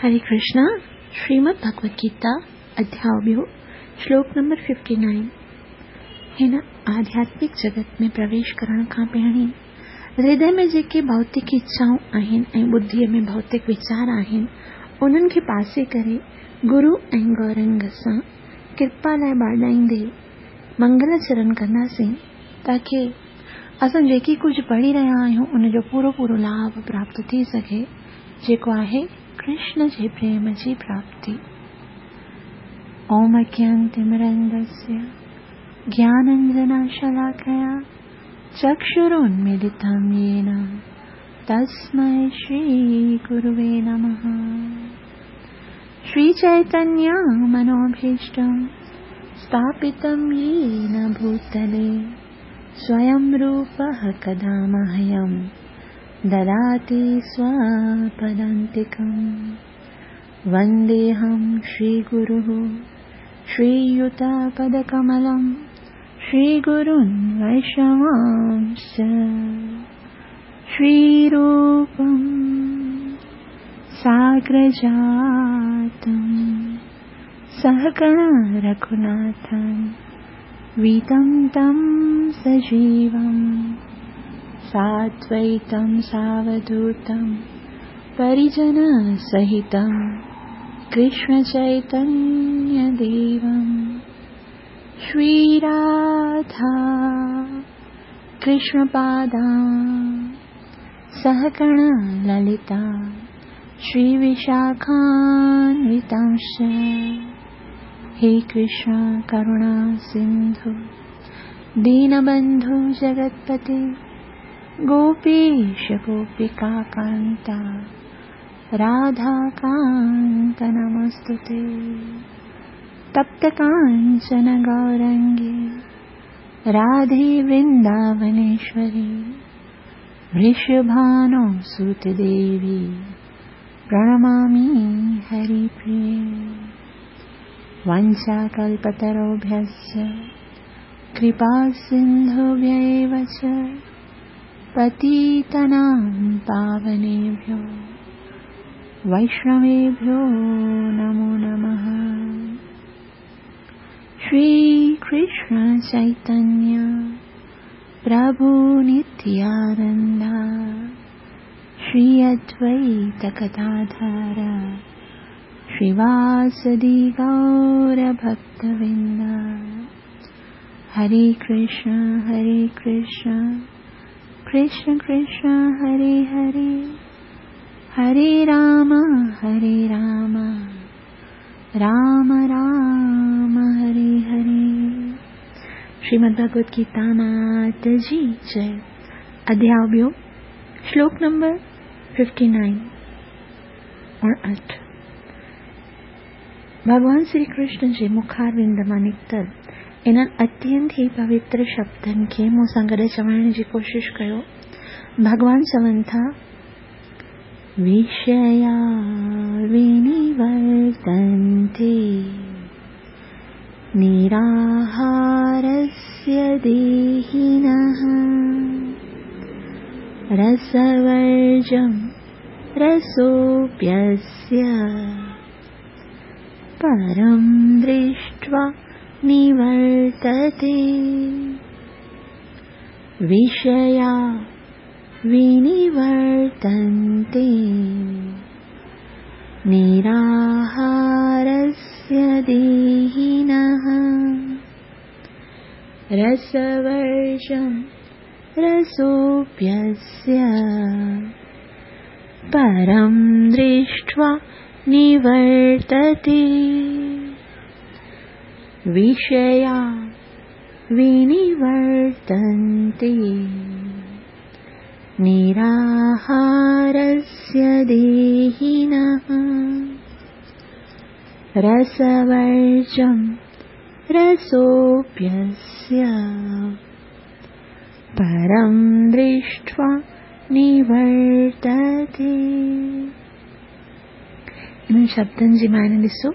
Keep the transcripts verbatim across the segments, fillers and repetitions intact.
हरे कृष्णा। श्रीमद् भगवद गीता अध्याय ॿियो, श्लोक नंबर फिफ्टी नाइन। हिन आध्यात्मिक जगत में प्रवेश करण खां पहिरीं हृदय में जेके भौतिक इच्छाऊं आहिनि ऐं बुद्धिअ में भौतिक वीचार आहिनि, उन्हनि खे पासे करे गुरू ऐं गौरंग सां कृपा लाइ ॿाॾाईंदे मंगल चरण कंदासीं, ताकी असां जेकी कुझु पढ़ी रहिया आहियूं उनजो पूरो पूरो लाभ प्राप्त थी सघे, जेको आहे कृष्ण जे प्रेम जी प्राप्ति। ओम अज्ञानतिमिरन्धस्य ज्ञानाञ्जनशलाकया चक्षुरुन्मीलितं येन तस्मै श्रीगुरुवे नमः। श्रीचैतन्य मनोभीष्टं स्थापितं येन भूतले स्वयं रूपः कदा मह्यं ददाति स्वपदान्तिकं। वन्देऽहं श्रीगुरुः श्रीयुतपदकमलं श्रीगुरुन् वैष्णवांश्च। श्रीरूपं साग्रजातं सहगण रघुनाथं वीतं तं सजीवं साद्वैतं सावधूतं परिजनसहितं कृष्णचैतन्यदेवं। श्रीराधा कृष्णपादां सहगण ललिता श्रीविशाखान्वितांश्च। हे कृष्ण करुणा सिन्धु दीनबन्धु जगत्पते गोपीश गोपिकान्ता राधाकान्त नमस्तुते। तप्त कांचन गौरंगी राधे वृंदावनेश्वरी वृषभानो सुत देवी प्रणमामि हरिप्रिये। वाञ्छाकल्पतरुभ्यश्च कृपा सिन्धुभ्य एव च पतितानां पावनेभ्यो वैष्णवेभ्यो नमो नमः। श्री कृष्ण चैतन्य प्रभु नित्यानंद श्री अद्वैत गदाधर श्रीवासदि गौर भक्तवृंद। हरे कृष्ण हरे कृष्ण कृष्ण कृष्ण हरे हरे, हरे राम हरे राम राम राम हरे हरे। श्रीमद् भगवद गीता मात जी जय। अध्याय ॿियो, श्लोक नंबर फिफ्टी नाइन अणहठि। भॻवान श्री कृष्ण जे मुखारविंद मां निकितल इन्हनि अत्यंत ई पवित्र शब्दनि खे मूं सां गॾु चवण जी कोशिशि कयो। भॻवान चवनि था, विषया विनिवर्तन्ते निराहारस्य देहिनः रसवर्जं रसोऽप्यस्य परं दृष्ट्वा निवर्तते। विषया विनिवर्तन्ते निराहारस्य देहिनः रसवर्जं रसोऽप्यस्य परं दृष्ट्वा निवर्तते। विषया विनिवर्तन्ते निराहारस्य देहिनः रसवर्जं रसोऽप्यस्य परं दृष्ट्वा निवर्तते। इन्हनि शब्दनि जी माना ॾिसो,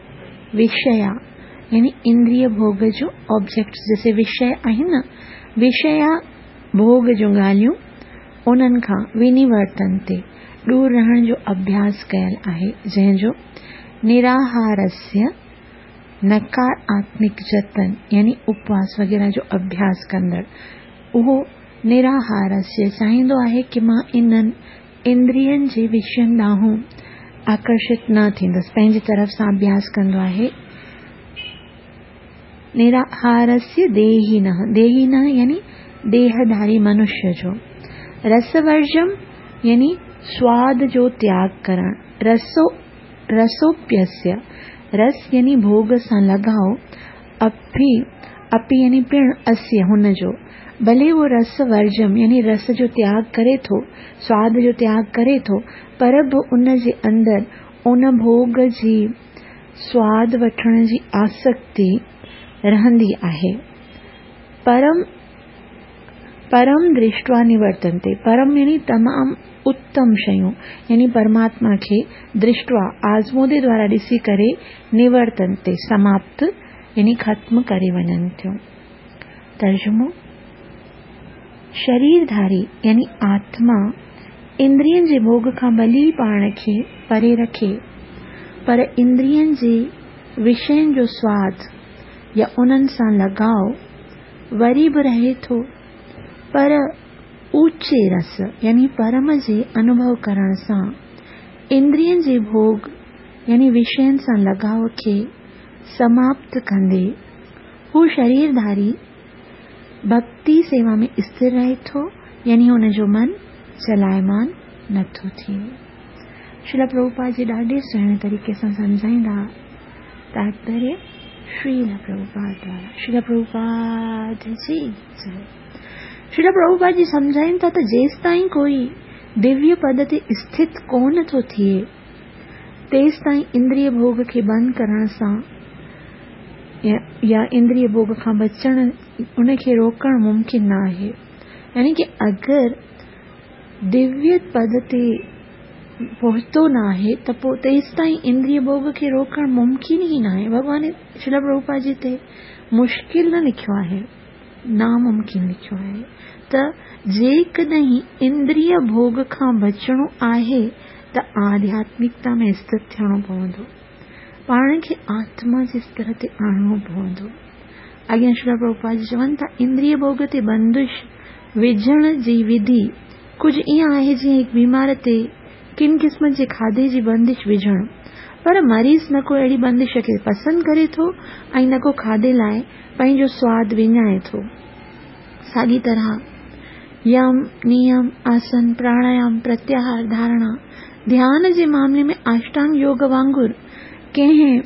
विषया यानी इंद्रिय भोग जो ऑब्जेक्ट, जैसे विषय आहिनि न, विषया भोग जूं ॻाल्हियूं उन्हनि खां विनिवर्तन्ते ڏور रहण जो अभ्यास कयल आहे, जंहिंजो निराहारस्य नकार आत्मिक जतन यानी उपवास वग़ैरह जो अभ्यास कंदड़ उहो निराहारस्य चाहींदो आहे की मां इन्हनि इंद्रियनि जे विषयनि ॾांहुं आकर्षित न थींदुसि, पंहिंजी तरफ़ सां अभ्यास कंदो आहे। निराहारस्य देहिनः, देहिनः यानी देहधारी मनुष्य जो, रसवर्जम यानी स्वाद जो त्याग करण, रसो रसोप्यस्य रस यानी भोग सां लॻाव, अपि अपि यानी पिण अस्य हुन जो, भले उहो रस वर्जम यानी रस जो त्याग करे थो, स्वाद जो त्याग करे थो, पर बि उन जे अंदरि उन भोग जी स्वाद वठण जी आसक्ति रहंदी आहे। परम परम दृष्ट्वा निवर्तन्ते, परम यानी तमाम उत्तम शयूं यानी परमात्मा खे दृष्ट्वा आज़मूदे द्वारा ॾिसी करे निवर्तन्ते समाप्त यानी ख़त्म करे वञनि थियूं। तर्जुमो, शरीरधारी यानी आत्मा इंद्रियनि जे भोग खां भली पाण खे परे रखे, पर इंद्रियनि जे विषयनि जो स्वाद या उन्हनि सां लॻाव वरी बि रहे थो, पर ऊचे रस यानी परम जे अनुभव करण सां इंद्रियनि जे भोग यानी विषयनि सां लॻाव खे समाप्त कंदे हू शरीरधारी भक्ति सेवा में स्थिर रहे थो, यानी हुनजो मन चलायमान नथो थिए। श्रील प्रभुपाद जी ॾाढे सुहिणे तरीक़े सां सम्झाईंदा। तात्पर्य श्रील प्रभुपाद द्वारा। श्रील प्रभुपाद जी जय। श्रील प्रभुपाद जी सम्झाइनि था त जेसि ताईं कोई दिव्य पद ते स्थित कोन थो थिए तेसि ताईं इंद्रिय भोग खे बंदि करण सां या, या इंद्रिय भोग खां बचण उनखे रोकण मुमकिन न आहे। यानी कि अगरि दिव्य पद ते पहुतो न आहे त पोइ तेसि ताईं इंद्रिय भोग खे रोकण मुमकिन ई न आहे। भॻवान श्रील प्रभुपाद जी ते मुश्किल न लिखियो आहे, नामुमकिन लिखियो आहे। त जेकॾहिं इंद्रिय भोग खां बचणो आहे त आध्यात्मिकता में स्थित थियणो पवंदो, पाण खे आत्मा जे स्तर ते आणणो पवंदो। अॻियां श्रील प्रभुपाद जी चवनि था, इंद्रिय भोग ते बंदिश विझण जी विधि कुझु ईअं आहे जीअं हिकु बीमार ते किन क़िस्म जे खाधे जी बंदिश विझणु, पर मरीज़ न को अहिड़ी बंदिश खे पसंदि करे थो ऐं न को खाधे लाइ पंहिंजो स्वाद विञाए थो। साॻी तरह यम, नियम, आसन, प्राणायाम, प्रत्याहार, धारणा, ध्यान जे मामले में अष्टांग योग वांगुरु कंहिं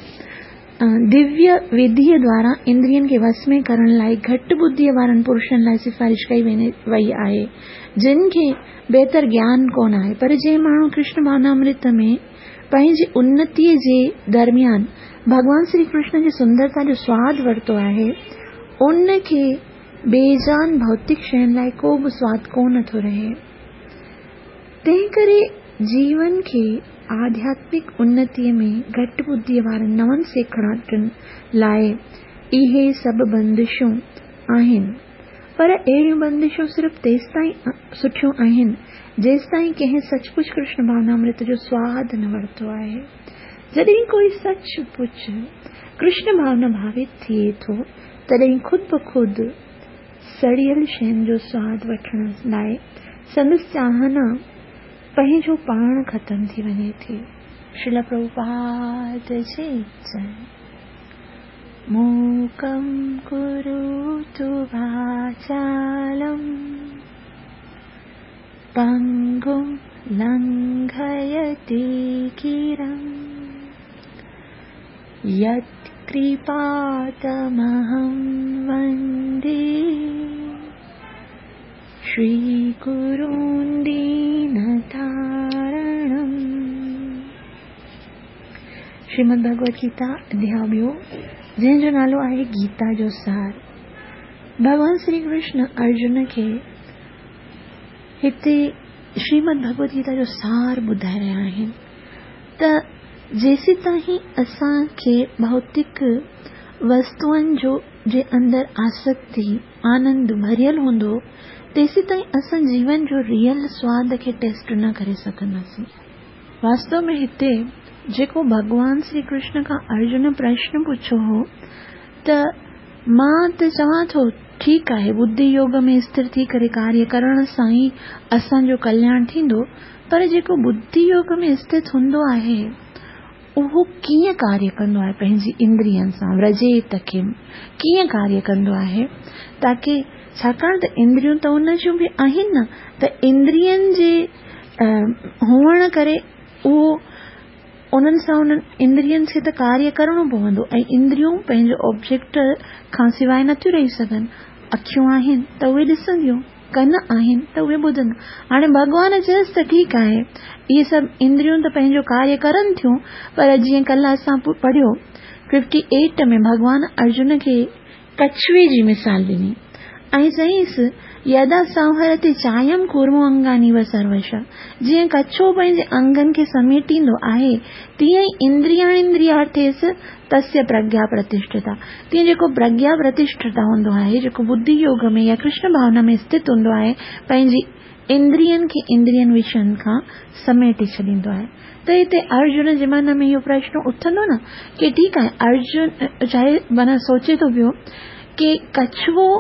दिव्य विधीअ द्वारा इंद्रियनि खे वश में करण लाइ घटि बुद्धीअ वारनि पुरुषनि लाइ सिफारिश कई वई आहे, जिन खे बहितर ज्ञान कोन आहे। पर जंहिं माण्हू कृष्ण भावनामृत में पंहिंजी उन्नतीअ जे दरमियान भॻवान श्री कृष्ण जी सुंदरता जो स्वाद वरितो आहे, उन खे बेजान भौतिक शयुनि लाइ को बि स्वाद कोन थो रहे। तंहिं करे जीवन खे आध्यात्मिक उन्नतीअ में घटि बुद्धीअ वारनि नवनि सेखड़ाटनि लाइ इहे सभु बंदिशूं आहिनि, पर अहिड़ियूं बंदिशूं सिर्फ़ु तेसि ताईं सुठियूं आहिनि जेसि ताईं कंहिं सचमुच कृष्ण भावनामृत जो स्वाद न वरितो आहे। जॾहिं कोई सचपुच कृष्ण भावना भावित थिए थो तॾहिं ख़ुदि ब ख़ुदि सड़ियल शयुनि जो स्वाद वठण लाइ संदसि चाहना पंहिंजो पाण ख़तमु थी वञे थी। श्रील प्रभुपाद जी जय। मूकं करोतु वाचालं पंगुं लंघयति गिरिं यत्कृपातमहं वन्दे श्रीगुरुं दीनतारणम्। श्रीमद् भगवद गीता अध्याय ॿियो, जंहिंजो नालो आहे गीता जो सार। भॻवान श्री कृष्ण अर्जुन खे हिते श्रीमद् भगवद गीता जो सार ॿुधाए रहिया आहिनि त जेसीं ताईं असांखे भौतिक वस्तुअनि जो جي اندر آسڪتي، آنند ڀريل هوندو، تيسيتائين اسان جيون جو ريئل سواد کي ٽيسٽ نه ڪري سگهنداسين. واستو ۾ هتي جيڪو ڀڳوان شري ڪرشن کان ارجن پرشن پڇيو هو ته مان ته چوان ٿو ٺيڪ آهي، ٻڌي يوگ ۾ اسٿر ٿي ڪري ڪاريه ڪرڻ سان ئي اسان جو ڪلياڻ ٿيندو، پر جيڪو ٻڌي يوگ ۾ اسٿت هوندو آهي اهو ڪيئن ڪاريه ڪندو آهي؟ پنهنجي اندرين سان ورجيت کي ڪيئن ڪاريه ڪندو آهي؟ تاڪه ڇاڪاڻ ته اندريون ته ان جون به آهن نه، ته اندرين جي هئڻ ڪري اهو انهن سان انهن اندرين کي ته ڪاريه ڪرڻو پوندو ۽ اندريون پنهنجو آبجيڪٽ کان سواءِ نٿيون رهي سگهن. اکيون آهن ته اهي ڏسنديون، ڪن آهن ته اهي ٻڌندا. هاڻي ڀڳوان چيس ته ٺيڪ آهي، اهي سڀ اندريون ته پنهنجو ڪاريه ڪرن ٿيون، پر جيئن ڪلهه اسان پڙهيو ففٽي ايٽ ۾ ڀڳوان ارجن کي ڪڇوي جي مثال ڏني ۽ چيائينس يدا سنهرتي چايم ڪورمو انگاني و سروش، جيئن ڪڇو پنهنجي انگن کي سميٽيندو آهي تيئن ئي اندرياڻيندريارٿيس تسيه پرگيا پرتشٺتا، تيئن جيڪو پرگيا پرتشٺتا هوندو آهي، جيڪو ٻڌي يوگ ۾ يا ڪرشن ڀاونا ۾ اسٿت هوندو آهي، پنهنجي اندرين کي اندرين وشين کان سميٽي ڇڏيندو آهي. ته هتي ارجن جي من ۾ اهو پرشن اٿندو نه ڪه ٺيڪ آهي، ارجن چاهي معنيٰ سوچي ٿو پيو ڪه ڪڇوو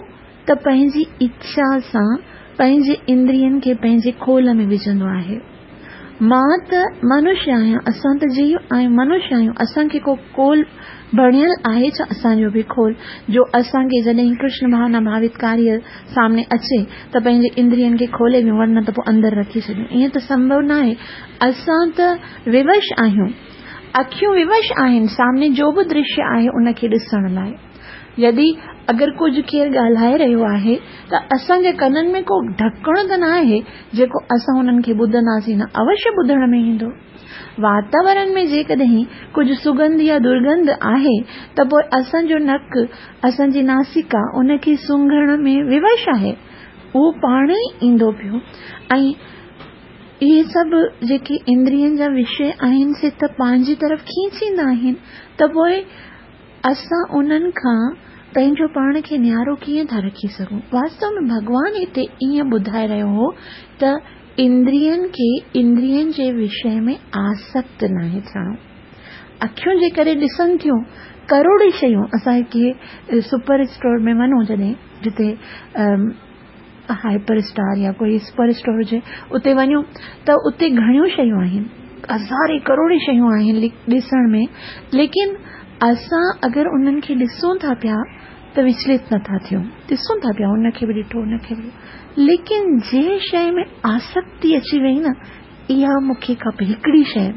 ته پنهنجي اڇا سان پنهنجي اندرين کي پنهنجي کول ۾ وجهندو آهي، مان ته منشيه آهيان، اسان ته جيو آهيون، منشيه آهيون، اسان کي ڪو کول بڻيل آهي ڇا؟ اسان جو به کول جو اسان کي جڏهن ڪرشن ڀاونا ڀاوت ڪاريه سامني اچي ته پنهنجي اندرين کي کولي ويون، ورنه ته پوءِ اندر رکي ڇڏيون، ائين ته سنڀو نه آهي. اسان ته ووش آهيون، اکيون ووش آهن سامني جو به درشيه آهي ان کي ڏسڻ لاءِ. يدي اگر ڪجهه ڪير ڳالهائي رهيو آهي ته اسان جي ڪنن ۾ ڪو ڍڪڻ ته نه آهي جيڪو اسان هنن کي ٻڌنداسين نه، اوشيه ٻڌڻ ۾ ايندو. واتاورڻ ۾ جيڪڏهن ڪجهه سڳنڌ يا درگنڌ آهي ته پوءِ اسان جو نڪ، اسان جي ناسڪا ان کي سونگهڻ ۾ ووش آهي، اهو پاڻ ئي ايندو پيو. ۽ اهي سڀ جيڪي اندرين جا وشيه آهن سي ته پنهنجي طرف کينچيندا آهن، ته پوءِ اسان انهن کان پنهنجو پاڻ کي نيارو ڪيئن ٿا رکي سگهون؟ واستو ۾ ڀڳوان هتي ائين ٻڌائي رهيو هو ته اندرين کي اندرين جي وشيه ۾ آسڪت ناهي ٿيڻو. اکيون جيڪڏهن ڏسن ٿيون ڪروڙي شيون، اسان کي سپر اسٽور ۾ وڃون جڏهن جتي هائپر اسٽار يا ڪوئي سپر اسٽور هجي اتي وڃون ته اتي گهڻيون شيون آهن، هزارين ڪروڙي شيون آهن ڏسڻ ۾، ليڪن اسان اگر انهن کي ڏسون ٿا پيا ته وچلت نٿا ٿيون، ڏسون ٿا پيا ان کي به ڏٺو ان کي به، ليڪن جنهن شيءِ ۾ آسڪتي اچي وئي نه، اها مون کي کپي، هڪڙي شيءِ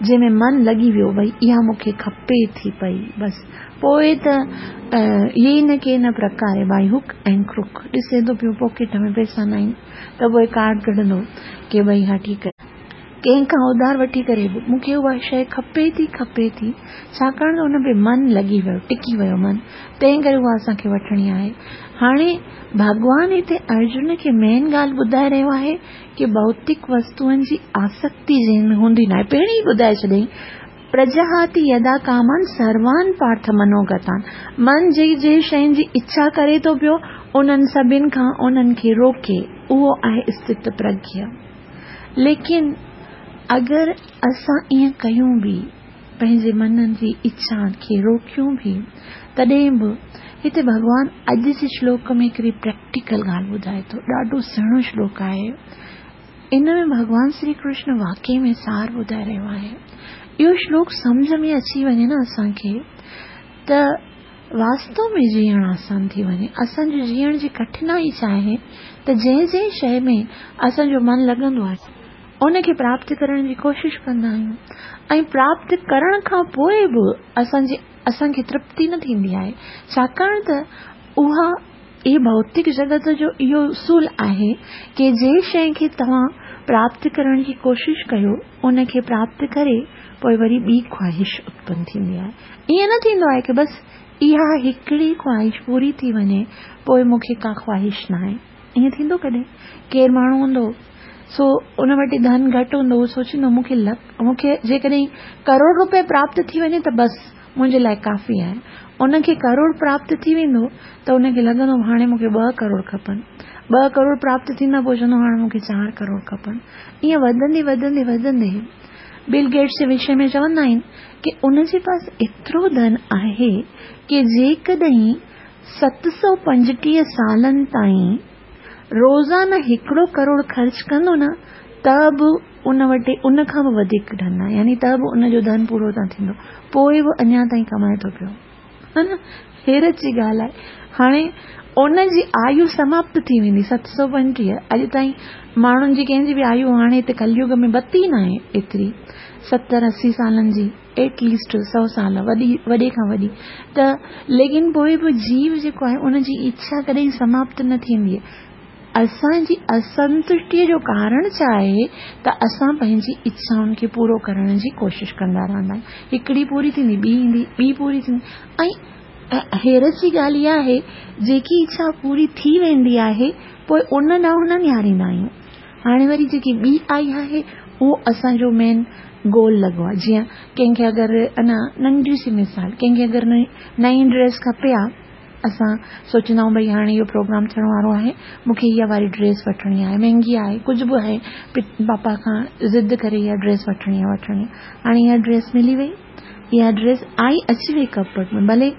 جنهن ۾ من لڳي ويو ڀئي اها مون کي کپي ٿي پئي، بس پوءِ ته اهي نه ڪي نه پرڪار باءِ هڪ ۽ ڪرڪ ڏسي ٿو پيو پاڪيٽ ۾ پئسا نه آهن ته پوءِ ڪارڊ ڪڍندو ڪه ڀئي ها ٺيڪ آهي، ڪنهن کان اڌار وٺي ڪري به مون کي اها شيءِ کپي ٿي کپي ٿي، ڇاڪاڻ ته ان تي من لڳي ويو، ٽڪي ويو من، تنهن ڪري اها اسان کي وٺڻي آهي. هاڻي ڀڳوان هتي ارجن کي مين ڳالهه ٻڌائي رهيو آهي ڪه ڀوتڪ وستوئن جي آسڪتي جنهن ۾ هوندي نه آهي، پهرين ئي ٻڌائي ڇڏيائين، پرجهاتي يدا ڪامان سروان پارٿ منوگتان، من جي جي شين جي اڇا ڪري ٿو پيو انهن سڀني کان انهن کي روڪي، اهو آهي اسٿت پرگيا. ليڪن اگر اسان ائين ڪيون به، پنهنجي من جي اڇا کي روڪيون به، تڏهن به هتي ڀڳوان اڄ جي شلوڪ ۾ هڪڙي پريڪٽيڪل ڳالهه ٻڌائي ٿو، ڏاڍو سهڻو شلوڪ آهي. ان ۾ ڀڳوان شري ڪرشن واقعي ۾ سار ٻڌائي رهيو آهي. اهو شلوڪ سمجهه ۾ اچي وڃي نه اسان کي ته واستو ۾ جيئڻ آسان ٿي وڃي. اسان جو جيئڻ جي ڪٺنائي ڇا آهي ته جنهن جنهن شيءِ ۾ اسان جو من لڳندو آهي ان کي پراپت ڪرڻ جي ڪوشش ڪندا آهيون ۽ پراپت ڪرڻ کان پوءِ به اسان جي اسان کي ترپتي نه ٿيندي آهي، ڇاڪاڻ ته اها اهي ڀوتڪ جڳت جو اهو اصول آهي ڪه جنهن شيءِ کي توهان پراپت ڪرڻ جي ڪوشش ڪيو ان کي پراپت ڪري پوءِ وري ٻي خواهش اتپن ٿيندي آهي. ائين نه ٿيندو آهي ڪه بس اها هڪڙي خواهش پوري ٿي وڃي پوءِ مون کي ڪا خواهش نه آهي. ائين ٿيندو ڪڏهن؟ ڪير ماڻهو هوندو سو ان وٽ ڌن گهٽ هوندو، اهو سوچيندو مون کي لک مون کي جيڪڏهن ڪروڙ رپيا پراپت ٿي وڃي ته بس منهنجي لاءِ ڪافي آهي. ان کي ڪروڙ پراپت ٿي ويندو ته ان کي لڳندو هاڻي مون کي ٻه ڪروڙ کپن، ٻه ڪروڙ پراپت ٿيندا پوءِ چوندو هاڻي مون کي چار ڪروڙ کپن. ائين وڌندي وڌندي وڌندي بل گيٽس جي وشي ۾ چوندا آهن ڪه ان جي پاس ايترو ڌن آهي ڪه جيڪڏهن ست سؤ پنجٽيهه سالن تائين روزانه هڪڙو ڪروڙ خرچ ڪندو نه ته به ان وٽ ان کان به وڌيڪ ڌن آهي، يعني ته به ان جو ڌن پورو نه ٿيندو، پوءِ به اڃا تائين ڪمائي ٿو پيو. ها نه، حيرت جي ڳالهه آهي. هاڻي ان جي آيو سماپت ٿي ويندي ست سؤ پنجٽيهه. اڄ تائين ماڻهن جي ڪنهن جي به آيو هاڻي هتي ڪليگ ۾ بتي نه آهي ايتري، ستر اسي سالن جي ايٽ ليسٽ سؤ سال وڏي وڏي کان وڏي ته، ليڪن پوءِ به جيو جيڪو آهي ان جي اڇا ڪڏهن سماپت نه ٿيندي. اسان جي اسنتشٽيءَ جو ڪارڻ ڇا آهي ته اسان پنهنجي اڇائن کي پورو ڪرڻ جي ڪوشش ڪندا رهندا آهيون. هڪڙي پوري ٿيندي، ٻي ايندي، ٻي پوري ٿيندي. ۽ حيرت جي ڳالهه اها آهي جيڪي اڇا پوري ٿي ويندي آهي پوءِ ان ڏانهن نه نهاريندا آهيون. هاڻي وري جيڪي ٻي آئي آهي اهو اسان جو مين گول لڳو آهي. جيئن ڪنهن کي اگر اڃا ننڍي سي مثال، ڪنهن کي اگر نئين ڊريس کپي آهي، اسان سوچيندا آهيون ڀئي هاڻي اهو پروگرام ٿيڻ وارو آهي، مون کي اها واري ڊريس وٺڻي آهي، مهانگي آهي، ڪجهه به آهي، پاپا کان ضد ڪري اها ڊريس وٺڻي آهي وٺڻي آهي. هاڻي اها ڊريس ملي وئي، اها ڊريس آئي اچي وئي ڪپبورڊ ۾، ڀلي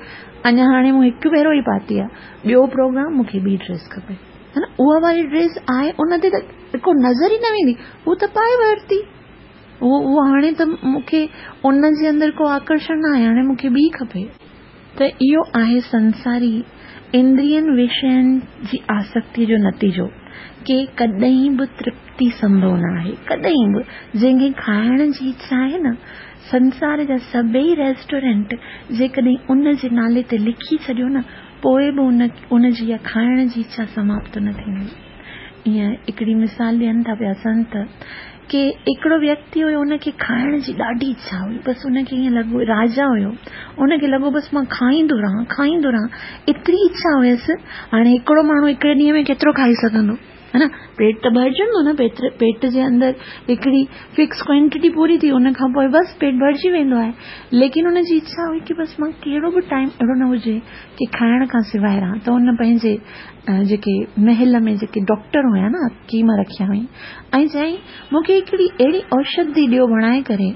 اڃا هاڻي مون هڪ ڀيرو ئي پاتي آهي، ٻيو پروگرام مون کي ٻي ڊريس کپي، ها نه. اها واري ڊريس آهي ان تي ته ڪو نظر ئي نه ويندي، هو ته پائي ورتي، اهو اهو هاڻي ته مون کي ان جي اندر ڪو آڪرشڻ نه آهي، هاڻي مون کي ٻي کپي. ته اهو آهي سنساري اندرين وشين جي آسڪتيءَ جو نتيجو ڪه ڪڏهن به ترپتي سنڀو نه آهي. ڪڏهن به جنهن کي کائڻ جي اڇا آهي نه، سنسار جا سڀئي ريسٽورنٽ جيڪڏهن ان جي نالي تي لکي ڇڏيو نه، پوءِ به ان ان جي اها کائڻ جي اڇا سماپت نه ٿيندي. ائين هڪڙي مثال ڏين ٿا پيا سنت ڪه هڪڙو ويڪتي هيو، ان کي کائڻ جي ڏاڍي اڇا هئي، بس ان کي ائين لڳو، راجا هيو، ان کي لڳو بس مان کائيندو رهان کائيندو رهان، ايتري اڇا هيس. هاڻي هڪڙو ماڻهو هڪڙي ڏينهن ۾ ڪيترو کائي سگهندو، ها نه، پيٽ ته ڀرجندو نه، پيٽ پيٽ جي اندر هڪڙي فڪس ڪوانٽٽي پوري ٿي، ان کان پوءِ بس پيٽ ڀرجي ويندو آهي. ليڪن ان جي اڇا هئي ڪه بس مان ڪهڙو به ٽائيم اهڙو نه هجي ڪه کائڻ کان سواءِ رهان. ته ان پنهنجي جيڪي محل ۾ جيڪي ڊاڪٽر هئا نه، حڪيم رکيا هئائين، ۽ چيائين مون کي هڪڙي اهڙي اوشڌي ڏيو بڻائي ڪري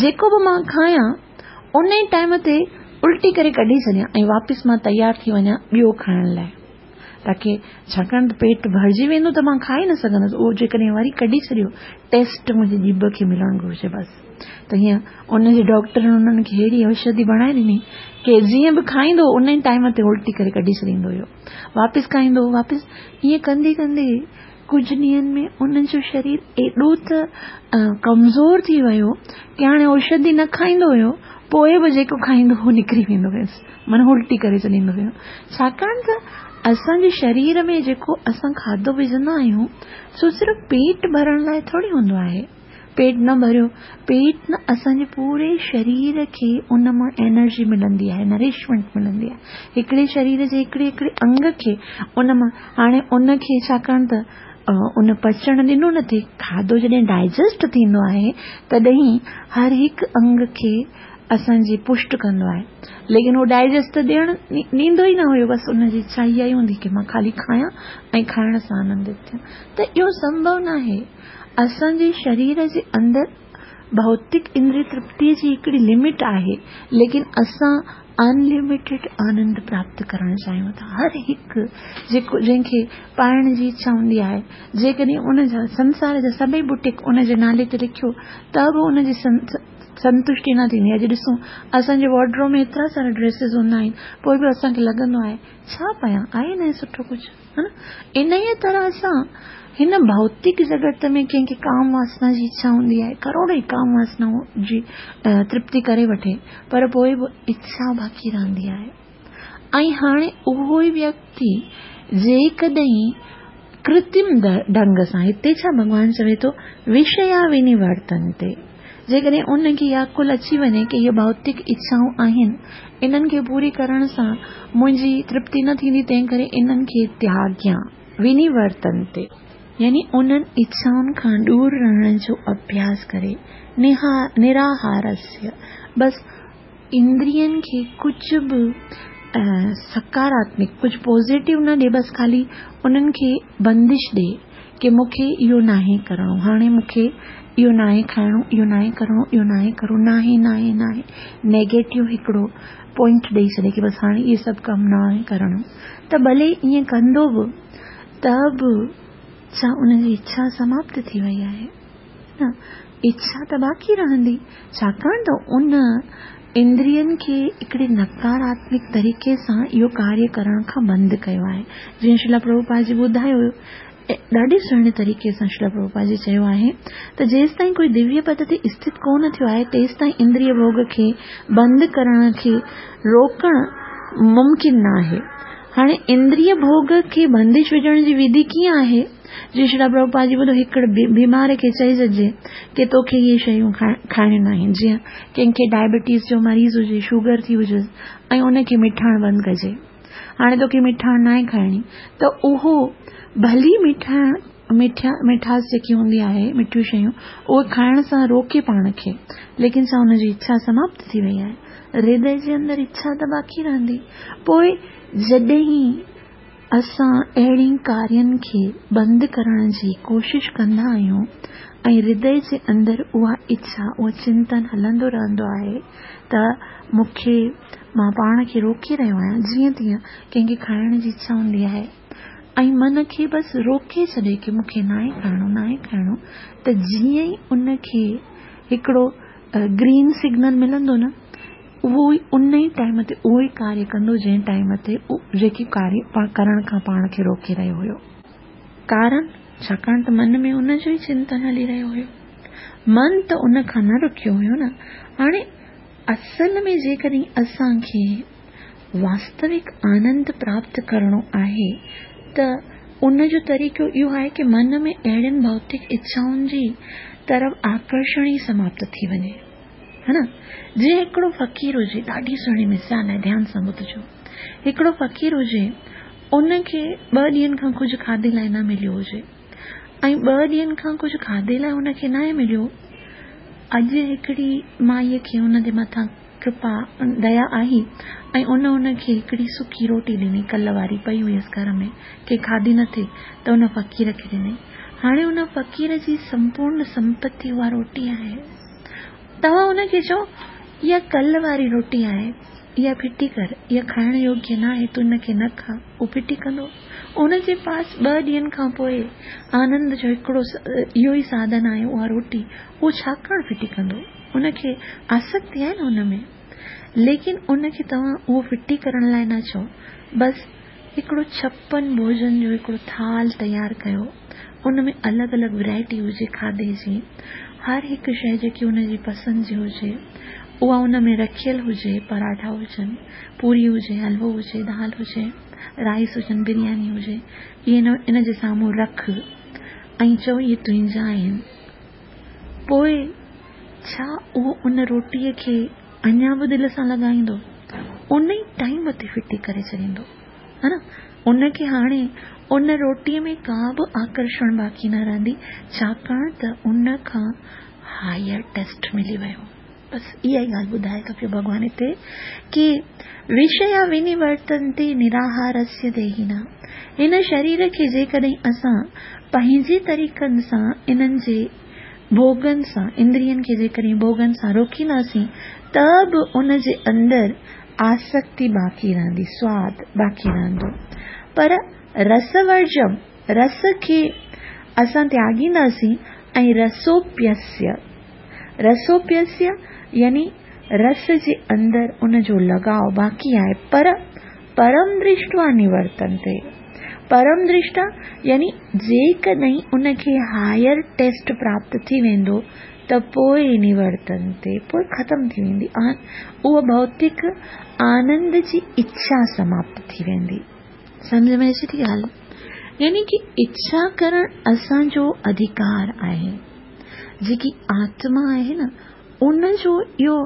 جيڪو به مان کايان ان ئي ٽائيم تي الٽي ڪري ڪڍي ڇڏيان ۽ واپس مان تيار ٿي وڃان ٻيو کائڻ لاءِ، تاڪه ڇاڪاڻ ته پيٽ ڀرجي ويندو ته مان کائي نه سگهندس، اهو جيڪڏهن وري ڪڍي ڇڏيو ٽيسٽ منهنجي ڄڀ کي ملڻ گهرجي بس. ته هيئن ان جي ڊاڪٽرن انهن کي اهڙي اوشڌي بڻائي ڏني ڪه جيئن به کائيندو ان ئي ٽائيم تي الٽي ڪري ڪڍي ڇڏيندو هيو، واپس کائيندو واپس. ائين ڪندي ڪندي ڪجهه ڏينهن ۾ انهن جو شرير ايڏو ته ڪمزور ٿي ويو ڪه هاڻي اوشڌي نه کائيندو هيو، پوءِ به جيڪو کائيندو هو نڪري ويندو هيس، معنيٰ الٽي ڪري ڇڏيندو هيو. ڇاڪاڻ ته اسان جي شرير ۾ جيڪو اسان کاڌو وجهندا آهيون سو صرف پيٽ ڀرڻ لاءِ ٿوري هوندو آهي. پيٽ نه ڀريو، پيٽ نه اسان جي پوري شرير کي ان مان انرجي ملندي آهي، نرشمينٽ ملندي آهي. هڪڙي شرير جي هڪڙي هڪڙي انگ کي ان مان هاڻي ان کي ڇاڪاڻ ته ان پچڻ ڏنو نه ٿئي، کاڌو جڏهن ڊائجسٽ ٿيندو آهي تڏهن هر هڪ انگ کي اسان جي پشٽ ڪندو آهي، ليڪن اهو ڊائجسٽ ته ڏيڻ ڏيندو ئي نه هيو، بس ان جي اڇا اها ئي هوندي ڪه مان خالي کايان ۽ کائڻ سان آنندت ٿيان. ته اهو سنڀو نه آهي. اسان جي شرير جي اندر ڀوتڪ اندريه ترپتيءَ جي هڪڙي لمٽ آهي، ليڪن اسان انلميٽيڊ آنند پراپت ڪرڻ چاهيون ٿا. هر هڪ جيڪو جنهن کي پائڻ جي اڇا هوندي آهي، جيڪڏهن ان جا سنسار جا سڀئي بوٽيڪ ان جي نالي تي لکيو ته به ان جي سنتشٽي نه ٿيندي. اڄ ڏسون اسان جي وارڊروب ۾ ايترا سارا ڊريسز هوندا آهن، پوءِ به اسان کي لڳندو آهي ڇا پايان، آهي نه سٺو ڪجهه، ها نه. ان ئي طرح سان هن ڀوتڪ جڳت ۾ ڪنهن کي ڪام واسنا جي اڇا هوندي آهي، ڪروڙ ئي ڪام واسنائون جي ترپتي ڪري وٺي، پر پوءِ به اڇا باقي رهندي آهي. ۽ هاڻي اهو ئي ويڪتي جيڪڏهن ڪرترم ڍنگ سان، هتي ڇا ڀڳوان چوي ٿو وشيا ونورتنتي، جيڪڏهن ان کي اها عقل اچي وڃي ڪه اهي ڀوتڪ اڇائون آهن، انهن کي پوري ڪرڻ سان منهنجي ترپتي نه ٿيندي، تنهن ڪري انهن کي تياڳيان، ونورتنتي يعني انهن اڇائن کان دور رهڻ جو اڀياس ڪري، نراهارस्य بس इंद्रियनि खे कुझु बि सकारात्मक, कुझु पॉज़िटिव न ॾे, बसि ख़ाली उन्हनि खे बंदिश ॾे की मूंखे इहो नाहे करिणो, हाणे मूंखे इहो नाहे खाइणो, इहो नाहे करिणो, इहो नाहे करिणो, नाहे नाहे नाहे, नेगेटिव हिकिड़ो पॉइंट ॾेई छॾे की बसि हाणे इहे सभु कमु नाहे करिणो, त भले ईअं कंदो बि त बि छा उनजी इच्छा समाप्त थी वई आहे? न, इच्छा त बाक़ी रहंदी, छाकाणि त उन इंद्रियनि खे हिकिड़े नकारात्मक तरीक़े सां इहो कार्य करण खां बंदि कयो आहे। जीअं श्रील प्रभुपाद जी ॿुधायो हुयो, ॾाढे सुहिणे तरीक़े सां श्रील प्रभुपाद जी चयो आहे त जेसि ताईं कोई दिव्य पद ते स्थित कोन थियो आहे तेसि ताईं इंद्रिय भोग खे बंदि करण खे रोकण मुमकिन न आहे। हाणे इंद्रिय भोग खे बंदिश विझण जी विधि कीअं आहे? जीअं श्रील प्रभुपाद जी ॿुधो, हिकिड़े बीमार खे चई छॾिजे की तोखे इहे शयूं खाइणियूं न आहिनि, जीअं कंहिंखे डायबिटीज़ जो मरीज़ हुजे, शुगर थी हुजे ऐं उनखे मिठाण बंदि कजे, हाणे तोखे मिठाण नाहे खाइणी, त उहो भली मिठाण मिठा मिठास जेकी हूंदी आहे, मिठियूं शयूं, उहे खाइण सां रोके पाण खे, लेकिन छा हुनजी इच्छा समाप्त थी वई आहे? हृदय जे अंदरि इच्छा त बाक़ी रहंदी। पोइ जॾहिं असां अहिड़नि कार्यनि खे बंदि करण जी कोशिशि कंदा आहियूं ऐं हृदय जे अंदरि उहा इच्छा, उहो चिंतन हलंदो रहंदो आहे त मूंखे, मां पाण खे रोके रहियो आहियां, जीअं तीअं कंहिंखे खाइण जी इच्छा हूंदी आहे ऐं मन खे बसि रोके छॾे की मूंखे नाहे खाइणो, नाहे खाइणो, त जीअं ई उनखे हिकिड़ो ग्रीन सिग्नल मिलंदो न, उहो ई उन ई टाइम ते उहो ई कार्य कंदो जंहिं टाइम ते जेकी कार्य करण खां पाण खे रोके रहियो हुयो। कारण छाकाणि त मन में उनजो ई चिंतन हली रहियो हुयो, मन त उन खां न रुकियो हुयो न। हाणे असल में जेकॾहिं असांखे वास्तविक आनंद प्राप्त करिणो आहे त उनजो तरीक़ो इहो आहे की मन में अहिड़ियुनि भौतिक इच्छाउनि जी तरफ़ आकर्षण ई समाप्त थी वञे, है न। जीअं हिकिड़ो फ़क़ीर हुजे, ॾाढी सुहिणी मिसाल आहे, ध्यान सां ॿुधजो। हिकिड़ो फ़क़ीर हुजे, उनखे ॿ ॾींहंनि खां कुझु खाधे लाइ न मिलियो हुजे ऐं ॿ ॾींहंनि खां कुझु खाधे लाइ हुनखे न मिलियो, अॼु हिकिड़ी माईअ खे हुन जे मथां कृपा दया आई ऐं उन हुनखे हिकिड़ी सुकी रोटी ॾिनी, कल्ह वारी पई हुयसि घर में, कंहिं खाधी न थी त हुन फ़क़ीर खे ॾिनई। हाणे हुन फ़क़ीर जी संपूर्ण संपत्ति उहा रोटी आहे। तव्हां हुनखे चओ इहा कल्ह वारी रोटी आहे, इहा फिटी कर, इहा खाइण योग्य न आहे, तूं हिनखे न खा, उहो फिटी कंदो। उनजे पास ॿ ॾींहंनि खां पोइ आनंद जो हिकिड़ो इहो ई साधन आहे उहा रोटी, उहो छाकाणि फिटी कंदो? उनखे आसक्ति आहे न हुन में। लेकिन उनखे तव्हां उहो फिटी करण लाइ न चओ, बसि हिकिड़ो छप्पन भोजन जो हिकिड़ो थाल तयारु कयो, उन में अलॻि अलॻि वैरायटी हुजे खाधे जी, हर हिकु शइ जेकी हुनजी पसंदि जी हुजे उहा उन में रखियल हुजे, पराठा हुजनि, पूरी हुजे, हलवो हुजे, दाल हुजे, राइस हुजनि, बिरयानी हुजे, इहे इन जे साम्हूं रख ऐं चओ इहे तुंहिंजा आहिनि। पोइ छा उहो उन रोटीअ खे अञा बि दिलि सां लॻाईंदो? उन ई टाइम ते फिटी करे छॾींदो, हा न। उनखे हाणे उन रोटीअ में का बि आकर्षण बाक़ी न रहंदी, छाकाणि त उन खां हायर टेस्ट मिली वियो। बसि इहा ई ॻाल्हि ॿुधाए थो पियो भॻवानु हिते की विषया विनिवर्तन्ते निराहारस्य देहिना। हिन शरीर खे जेकॾहिं असां पंहिंजे तरीक़नि सां इन्हनि जे भोगनि सां, इंद्रियनि खे जेकॾहिं भोगनि सां रोकींदासीं त बि उन जे अंदरि आसक्ति बाक़ी रहंदी, स्वाद बाक़ी रहंदो। पर रसवर्जम, रस खे असां त्यागींदासीं ऐं रसोप्यस्य, रसोप्यस्य यानी रस जे अंदरि उनजो लॻाव बाक़ी आहे, पर परम दृष्टवा निवर्तन्ते। परम दृष्टा यानी जेकॾहिं उनखे हायर टेस्ट प्राप्त थी वेंदो त पोइ निवर्तन्ते, पोइ ख़तमु थी वेंदी, उहा भौतिक आनंद जी इच्छा समाप्त थी वेंदी। सम्झ में अचे थी ॻाल्हि? यानी की इच्छा करण असांजो अधिकार आहे, जेकी आत्मा आहे न उनजो इहो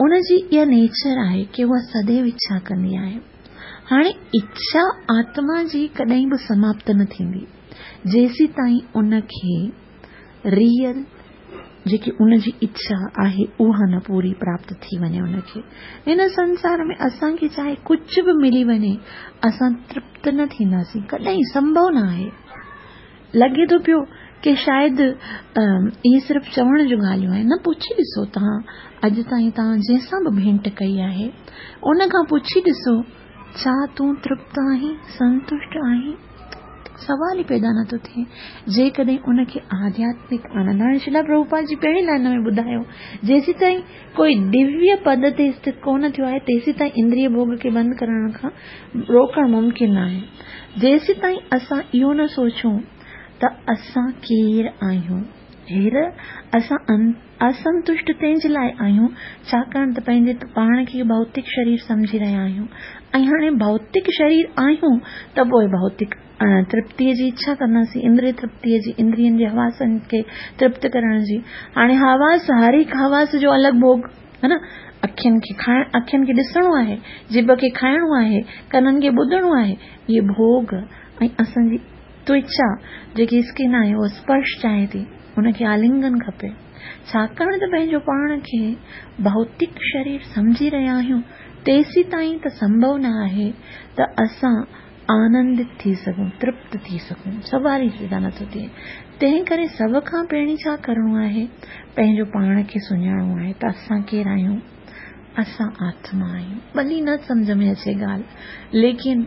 उनजी इहा नेचर आहे की उहा सदैव इच्छा कंदी आहे। हाणे इच्छा आत्मा जी कॾहिं बि समाप्त न थींदी जेसीं ताईं उनखे रियल जेकी उनजी इच्छा आहे उहा न पूरी प्राप्त थी वञे उनखे। हिन संसार में असांखे चाहे कुझु बि मिली वञे, असां तृप्त न थींदासीं, कॾहिं संभव न आहे। लॻे थो पियो की शायदि इहे सिर्फ़ु चवण जूं ॻाल्हियूं आहिनि। न, पुछी ॾिसो तव्हां अॼु ताईं तव्हां जंहिंसां बि भेंट कई आहे उन खां पुछी ॾिसो, छा तूं तृप्त आहीं, संतुष्ट आहीं? सवाल ई पैदा नथो थिए। जेकॾहिं उनखे आध्यात्मिक आनंद, हाणे श्रीला प्रभुपाद जी पहिरीं लाइन में ॿुधायो, जेसीं ताईं कोई दिव्य पद ते स्थित कोन थियो आहे तेसीं ताईं इंद्रिय भोग खे बंदि करण खां रोकणु मुमकिन आहे। जेसीं ताईं असां इहो न सोचूं त असां केरु आहियूं, हेर असां असंतुष्ट तंहिंजे लाइ आहियूं छाकाणि त पंहिंजे पाण खे भौतिक शरीर सम्झी रहिया आहियूं, ऐं हाणे भौतिक शरीर आहियूं त पोइ भौतिक तृप्तीअ जी इच्छा कंदासीं, इंद्रिय तृप्तीअ जी, इंद्रियनि जे हवासनि खे तृप्त करण जी। हाणे हवास, हर हिकु हवास जो अलॻि भोग है न। अखियुनि खे खाइण, अखियुनि खे ॾिसणो आहे, जिभ खे खाइणो आहे, कननि खे ॿुधणो आहे, इहे भोग। ऐं असांजी त्वचा जेकी स्किन आहे उहा स्पर्श चाहे थी, उनखे आलिंगन खपे। छाकाणि त पंहिंजो पाण खे भौतिक शरीर सम्झी रहिया आहियूं तेसीं ताईं त संभव न आहे त असां आनंदित थी सघूं, तृप्त थी सघूं, सवाल ई पैदा नथो थिए। तंहिं करे सभ खां पहिरीं छा करिणो आहे, पंहिंजो पाण खे सुञाणणो आहे त असां केरु आहियूं, असां आत्मा आहियूं। भली न सम्झ में अचे ॻाल्हि, लेकिन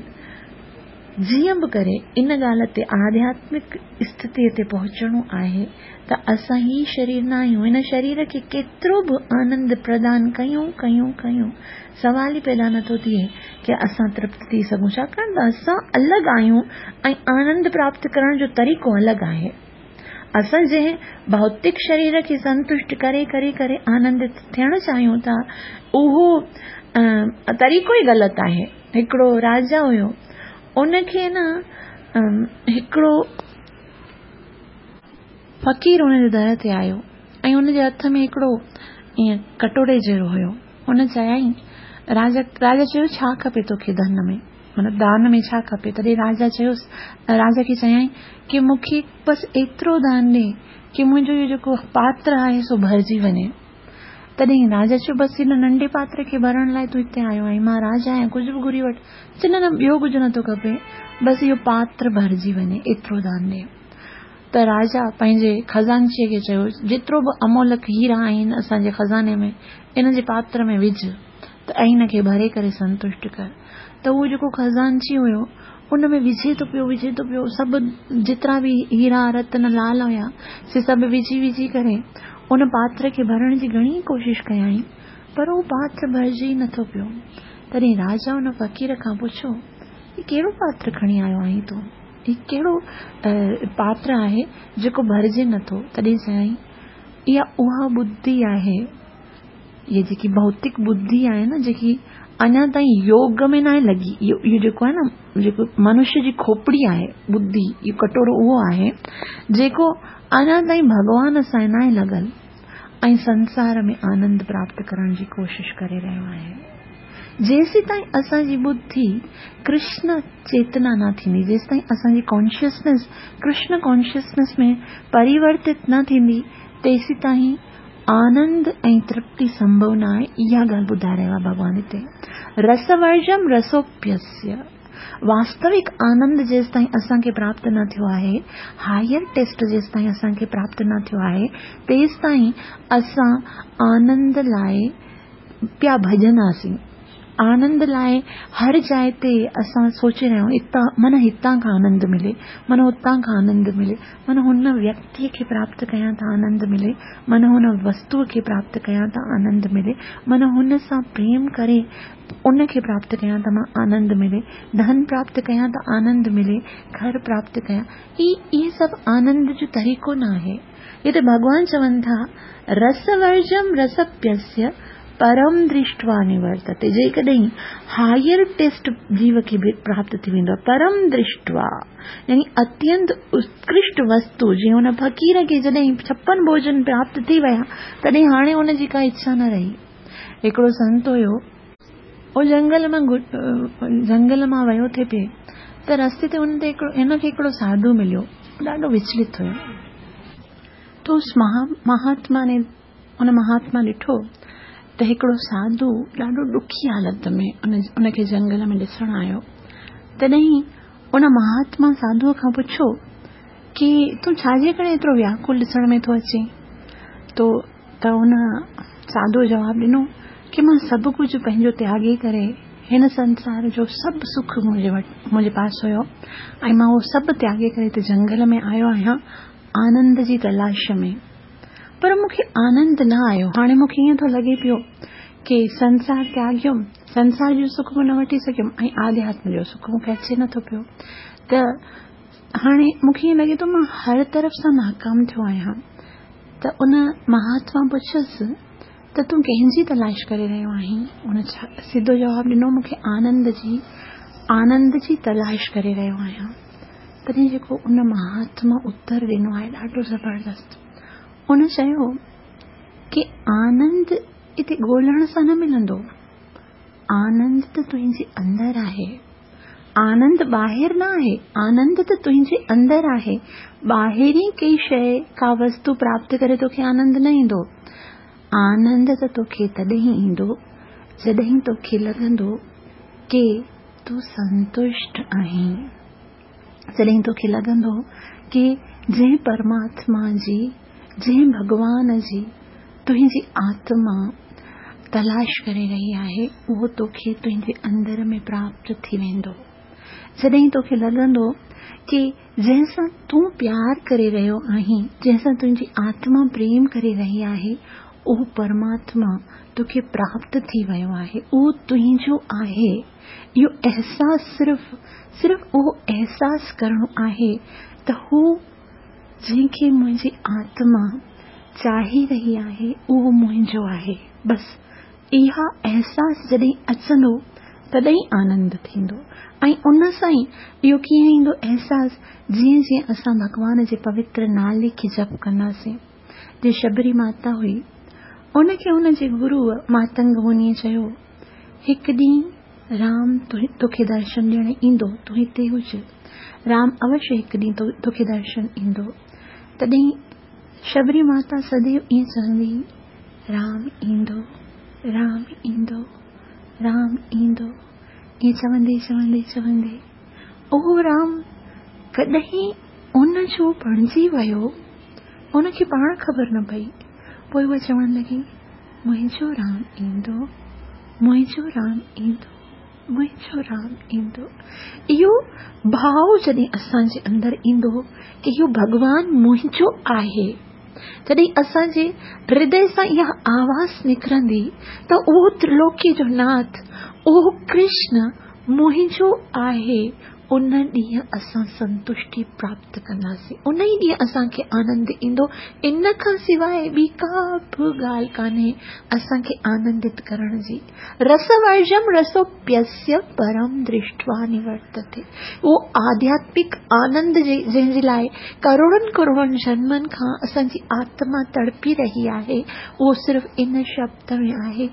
जीअं बि करे इन ॻाल्हि ते आध्यात्मिक स्थितीअ ते पहुचणो आहे त असां ही शरीर न आहियूं। हिन शरीर खे केतिरो बि आनंद प्रदान कयूं कयूं कयूं, सवाल ई पैदा नथो थिए की असां तृप्त थी सघूं, छाकाणि त असां अलॻि आहियूं ऐं आनंद प्राप्त करण जो तरीक़ो अलॻि आहे। असां जंहिं भौतिक शरीर खे संतुष्ट करे करे करे आनंदित थियणु चाहियूं था, उहो तरीक़ो ई ग़लति आहे। हिकिड़ो राजा हुयो, उनखे न हिकिड़ो फ़क़ीर हुनजे दर ते आयो ऐं हुनजे हथ में हिकिड़ो ईअं कटोरे जहिड़ो हुयो। हुन चयाईं, राजा राजा चयो छा खपे तोखे धन में, माना दान में छा खपे? तॾहिं राजा चयोसि, राजा खे चयाईं की मूंखे बसि एतिरो दान ॾे की मुंहिंजो इहो जेको पात्र आहे सो भरिजी वञे। तॾहिं राजा चयो, बसि हिन नंढे पात्र खे भरण लाइ तूं हिते आयो आहीं, मां राजा आहियां, कुझु बि घुरी वठि। चए न न, ॿियो कुझु नथो खपे, बसि इहो पात्र भरिजी वञे, एतिरो दान ॾे। त राजा पंहिंजे खज़ानचीअ खे चयो, जेतिरो बि अमोलक हीरा आहिनि असांजे ख़ज़ाने में, इन जे पात्र में विझ त ऐं हिनखे भरे करे संतुष्ट कर। त उहो जेको खज़ानची हुयो उन में विझे थो पियो, विझे थो पियो, सभु जेतिरा बि हीरा रतन लाल हुया से सभु विझी विझी करे उन पात्र खे भरण जी घणी कोशिश कयाईं, पर उहो पात्र भरिजी ई नथो पियो। तॾहिं राजा उन फ़क़ीर खां पुछियो, हीउ कहिड़ो पात्र खणी आयो आहीं तूं? हीउ कहिड़ो पात्र आहे जेको भरिजे नथो? तॾहिं चयाईं, इहा उहा बुद्धि आहे, इहा जेकी भौतिक बुद्धि आहे न, जेकी अञा ताईं योग में न आहे लॻी, इहो इहो जेको आहे न, जेको मनुष्य जी खोपड़ी आहे बुद्धि, इहो कटोरो उहो आहे जेको अञा ताईं भॻवान सां न आहे लॻल ऐं संसार में आनंद प्राप्त करण जी कोशिश करे रहियो आहे। जेसीं ताईं असांजी बुद्धि कृष्ण चेतना न थींदी, जेसीं ताईं असांजी कॉन्शियसनेस कृष्ण कॉन्शियसनेस में परिवर्तित न थींदी, तेसीं ताईं आनंद ऐं तृप्ति संभव न आहे। इहा ॻाल्हि ॿुधाए रहियो आहे भॻवान हिते। रसवर्जम रसोप्यस्य, वास्तविक आनंद जेसीं ताईं असांखे प्राप्त न थियो आहे, हायर टेस्ट जेसीं ताईं असांखे प्राप्त न थियो आहे, तेसीं ताईं असां आनंद लाइ पिया भॼंदासीं। आनंद लाइ हर जाइ ते असां सोचे रहिया आहियूं, हितां माना हितां खां आनंद मिले, माना हुतां खां आनंद मिले, माना हुन व्यक्तीअ खे प्राप्त कयां त आनंद मिले, माना हुन वस्तूअ खे प्राप्त कयां त आनंद मिले, माना हुन सां प्रेम करे उनखे प्राप्त कयां त मां आनंद मिले, धन प्राप्त कयां त आनंद मिले, घर प्राप्त कयां। इहे सभु आनंद जो तरीक़ो न आहे। हिते भॻवान चवनि था, रसवर्जम रसप्यस्य परम दृष्ट्वा निवर्तते। जेकॾहिं हायर टेस्ट जीव खे प्राप्त थी वेंदो आहे, परम दृष्ट्वा यानी अत्यंत उत्कृष्ट वस्तु, जीअं हुन फ़क़ीर खे जॾहिं छप्पन भोजन प्राप्त थी विया, तॾहिं हाणे हुनजी का इच्छा न रही। हिकिड़ो संत हुयो, उहो जंगल मां जंगल मां वियो थे पिए, त रस्ते ते हुन ते हिकिड़ो हिनखे हिकिड़ो साधू मिलियो, ॾाढो विचलित हुयो। तो उस महात्मा ने उन महात्मा ॾिठो त हिकिड़ो साधू ॾाढो ॾुखी हालत में उनखे जंगल में ॾिसण आयो। तॾहिं उन महात्मा साधूअ खां पुछियो की तूं छाजे करे एतिरो व्याकुल ॾिसण में थो अचे? तो त उन साधूअ जवाबु ॾिनो की मां सभु कुझु पंहिंजो त्यागी करे हिन संसार जो सभु सुख मुंहिंजे वटि मुंहिंजे पास हुयो ऐं मां उहो सभु त्यागी करे हिते जंगल में आयो आहियां आनंद जी तलाश में, पर मूंखे आनंद न आयो। हाणे मूंखे ईअं थो लॻे पियो की संसार त्यागियुमि, संसार जो सुख बि न वठी सघियुमि ऐं आध्यात्म जो सुख मूंखे अचे नथो पियो। त हाणे मूंखे ईअं लॻे थो मां हर तरफ़ सां नाकाम थियो आहियां। त उन महात्मा पुछियुसि त तूं कंहिंजी तलाश करे रहियो आहीं? उन सिधो जवाबु ॾिनो मूंखे आनंद जी आनंद जी तलाश करे रहियो आहियां। तॾहिं जेको उन महात्मा उत्तर ॾिनो आहे ॾाढो ज़बरदस्त। उन चयो की आनंद हिते ॻोल्हण सां न मिलंदो, आनंद त तुंहिंजे अंदरि आहे, आनंद ॿाहिरि न आहे, आनंद त तुंहिंजे अंदरि आहे। ॿाहिरि कई शइ का वस्तु प्राप्त करे तोखे आनंद न ईंदो। आनंद त तोखे तॾहिं ईंदो जॾहिं तोखे लॻंदो की तूं संतुष्ट आहीं, जॾहिं तोखे लॻंदो की जंहिं परमात्मा जी जंहिं भॻवान जी तुंहिंजी आत्मा तलाश करे रही आहे उहो तोखे तुंहिंजे अंदर में प्राप्त थी वेंदो। जॾहिं तोखे लॻंदो की जंहिं सां तूं प्यार करे रहियो आहीं, जंहिं सां तुंहिंजी आत्मा प्रेम करे रही आहे, उहो परमात्मा तोखे प्राप्त थी वियो आहे, उहो तुंहिंजो आहे। इहो अहसास सिर्फ़ सिर्फ़ उहो अहसास करिणो आहे त हू जंहिंखे मुंहिंजी आत्मा चाहे रही आहे उहो मुंहिंजो आहे। बसि इहा अहसास जॾहिं अचंदो तॾहिं आनंद थींदो। ऐं उन सां ई इहो कीअं ईंदो अहसास? जीअं जीअं असां भॻवान जे पवित्र नाले खे जप कंदासीं। जे शबरी माता हुई उनखे उनजे गुरूअ मातंग मुनीअ चयो हिकु ॾींहुं राम तोखे दर्शन ॾियण ईंदो, तूं हिते हुज, राम अवश्य हिकु ॾींहुं तोखे दर्शन ईंदो। तॾहिं शबरी माता सदैव ईअं चवंदी राम ईंदो, राम ईंदो, राम ईंदो। ईअं चवंदे चवंदे चवंदे उहो राम कॾहिं उन जो बणिजी वियो, उनखे पाण ख़बर न पई। पोइ उहा चवण लॻी मुंहिंजो राम ईंदो, मुंहिंजो राम ईंदो, मुंहिंजो राम ईंदो। इहो भाव जॾहिं असांजे अंदरि ईंदो की इहो भॻवान मुंहिंजो आहे, जॾहिं असांजे हृदय सां इहा आवाज़ निकिरंदी त उहो त्रिलोकी जो नाथ, उहो कृष्ण मुंहिंजो आहे, उन ॾींहुं असां संतुष्टि प्राप्त कंदासीं, उन ई ॾींहुं असांखे आनंद ईंदो। इन खां सवाइ ॿी का बि ॻाल्हि कान्हे असांखे आनंदित करण जी। रसवर्जम रसोप्यस्य परम दृष्ट्वा निवर्तते। उहो आध्यात्मिक आनंद जंहिंजे लाइ करोड़नि करोड़नि जन्मनि खां असांजी आत्मा तड़पी रही आहे, उहो सिर्फ़ इन शब्द में आहे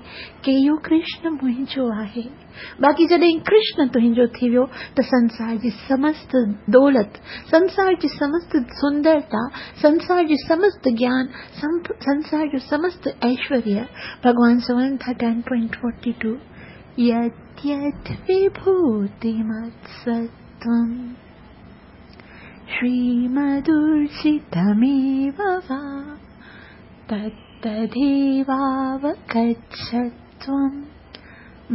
की इहो कृष्ण मुंहिंजो आहे। बाक़ी जॾहिं कृष्ण तुंहिंजो थी वियो त संसार जी समस्त दौलत, संसार जी समस्त सुंदरता, संसार जी समस्त ज्ञान, संसार जो समस्त ऐश्वर्य, भॻवान चवनि था टेन पॉइंट फोर्टी टू यत् यत् विभूतिमत्सत्त्वं श्रीमदुर्जितमेव वा तत्तदेवावगच्छत्वं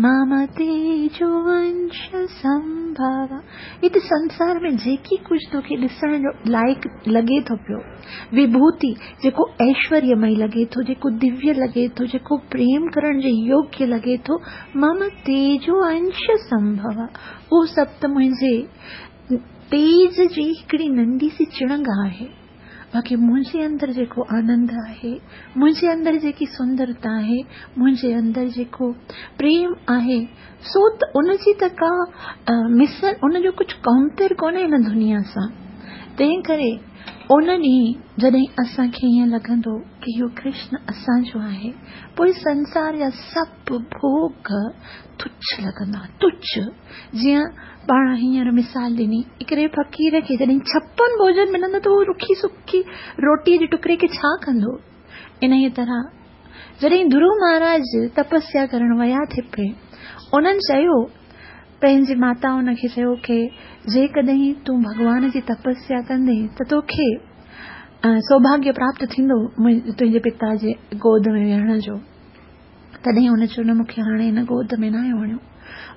मम तेजोवंश संभव। हिते संसार में जेकी कुझु तोखे ॾिसण जो लाइक़ लॻे थो पियो, विभूति जेको ऐश्वर्यमय लॻे थो, जेको दिव्य लॻे थो, जेको प्रेम करण जे योग्य लॻे थो, मम तेजोवंश संभव, उहो सभु त मुंहिंजे तेज जी हिकिड़ी नंढी सी चिणंग आहे। बाक़ी मुंहिंजे अंदरि जेको आनंद आहे, मुंहिंजे अंदरि जेकी सुंदरता आहे, मुंहिंजे अंदरि जेको प्रेम आहे, सो त उनजी त का मिसल, उनजो कुझु कंपेयर कोन्हे हिन दुनिया सां। तंहिं करे ان ॾींहुं जॾहिं असांखे ईअं लॻंदो की इहो कृष्ण असांजो आहे, पोइ संसार जा सभु भोग तुच्छ लॻंदा, तुच्छ। जीअं पाण हींअर मिसाल ॾिनी, हिकिड़े फ़क़ीर खे जॾहिं छप्पन भोजन मिलंदो त उहो रुखी सुखी रोटीअ जे टुकड़े खे छा कंदो? इन ई तरह जॾहिं ध्रुव महाराज तपस्या करण विया थे पे, उन्हनि चयो पंहिंजी माता उनखे चयो की जेकॾहिं तूं भॻवान जी तपस्या कंदे त तोखे सौभाग्य प्राप्त थींदो तुंहिंजे पिता जे गोद में वेहण जो। तॾहिं हुन चयो, न, मूंखे हाणे हिन गोद में नाहे वञिणो,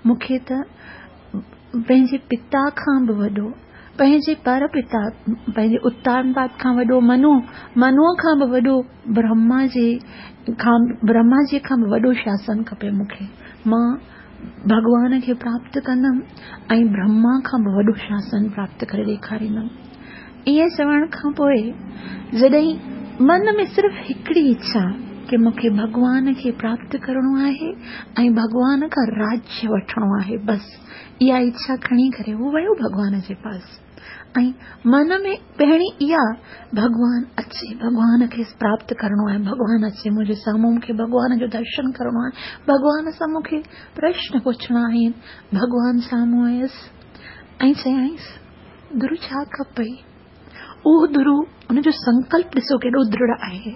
मूंखे त पंहिंजे पिता खां बि वॾो, पंहिंजे पर पिता, पंहिंजे उत्तानपाद खां वॾो, मनु मनुअ खां बि वॾो, ब्रह्मा जे खां ब्रह्मा जी खां बि वॾो शासन खपे मूंखे। मां भॻवान खे प्राप्त कंदमि ऐं ब्रह्मा खां बि वॾो शासन प्राप्त करे ॾेखारींदमि। ईअं चवण खां पोइ जॾहिं मन में सिर्फ़ हिकिड़ी इच्छा की मूंखे भॻवान खे प्राप्त करिणो आहे ऐं भॻवान खां राज्य वठिणो आहे, बसि इहा इच्छा खणी करे हू वियो भॻवान जे पास। ऐं मन में पहिरीं इहा भॻवान अचे, भॻवान खे प्राप्त करिणो आहे, भॻवान अचे मुंहिंजे साम्हूं, मूंखे भॻवान जो दर्शन करिणो आहे, भॻवान सां मूंखे प्रश्न पुछणा आहिनि। भॻवान साम्हूं आयुसि ऐं चयाईंसि, ध्रुव छा खपई? उहो ध्रुव उनजो संकल्प ॾिसो केॾो दृढ़ आहे।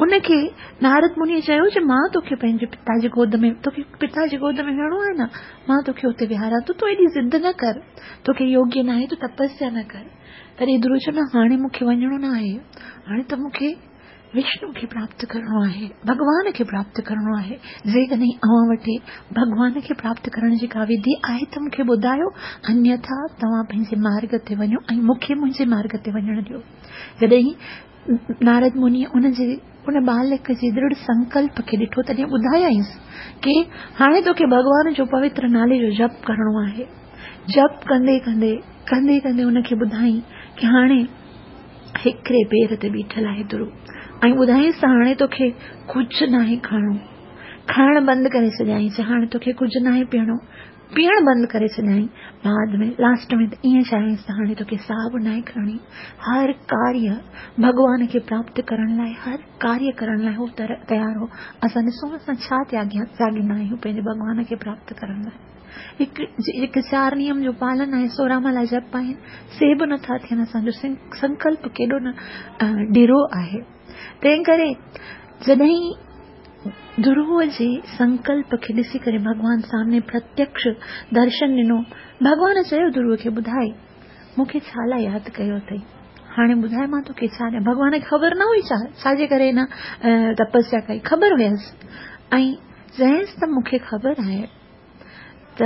उनखे नारद मुनि चयो जे मां तोखे पंहिंजे पिता जी गोद में, तोखे पिता जी गोद में वेहणो आहे न, मां तोखे हुते विहारां थो, तूं एॾी ज़िद न कर, तोखे योग्य न आहे, तूं तपस्या न कर। तॾहिं ध्रुव चयो, न, हाणे मूंखे वञिणो न आहे, हाणे त मूंखे विष्णु खे प्राप्त करिणो आहे, भॻवान खे प्राप्त करिणो आहे। जेकॾहिं अव्हां वटि भॻवान खे प्राप्त करण जी का विधि आहे त मूंखे ॿुधायो, अन्यथा तव्हां पंहिंजे मार्ग ते वञो ऐं मूंखे मुंहिंजे मार्ग ते वञणु ॾियो। जॾहिं नारद मुनि उनजे उन बालक जे दृढ़ संकल्प खे ॾिठो, तॾहिं ॿुधायाईंसि की हाणे तोखे भॻवान जो पवित्र नाले जो जप करिणो आहे। जप कंदे कंदे कंदे कंदे उनखे ॿुधाई की हाणे हिकिड़े पेर ते बीठल आहे ध्रुव, ऐं ॿुधाईंसि त हाणे तोखे कुझु नाहे खाइणो, खाइण बंदि करे छॾियाईंसि, हाणे तोखे कुझु नाहे पीअणो, पीअण बंदि करे छॾियाईं। बाद में लास्ट में त ईअं चयाईंसि त हाणे तोखे साह बि नाहे खणणी। हर कार्य भॻवान खे प्राप्त करण लाइ, हर कार्य करण लाइ हू तयारु हो। असां ॾिसूं असां छा त्यागिया त्यागींदा आहियूं पंहिंजे भॻवान खे प्राप्त करण लाइ। हिकु चारि नियम जो पालन आहे, सोरहं माला जप आहिनि, से बि नथा थियनि। असांजो संकल्प केॾो न ढिरो आहे। तंहिं करे जॾहिं ध्रुव जे संकल्प खे ॾिसी करे भॻवान सामने प्रत्यक्ष दर्शन ॾिनो, भॻवान चयो ध्रुव खे, ॿुधाए मूंखे छा लाइ यादि कयो अथई, हाणे ॿुधाए मां तोखे छा ॾियां। भॻवान खे ख़बर न हुई छा छाजे करे हिन तपस्या कई, ख़बर हुयसि ऐं चयईंसि त मूंखे ख़बर आहे त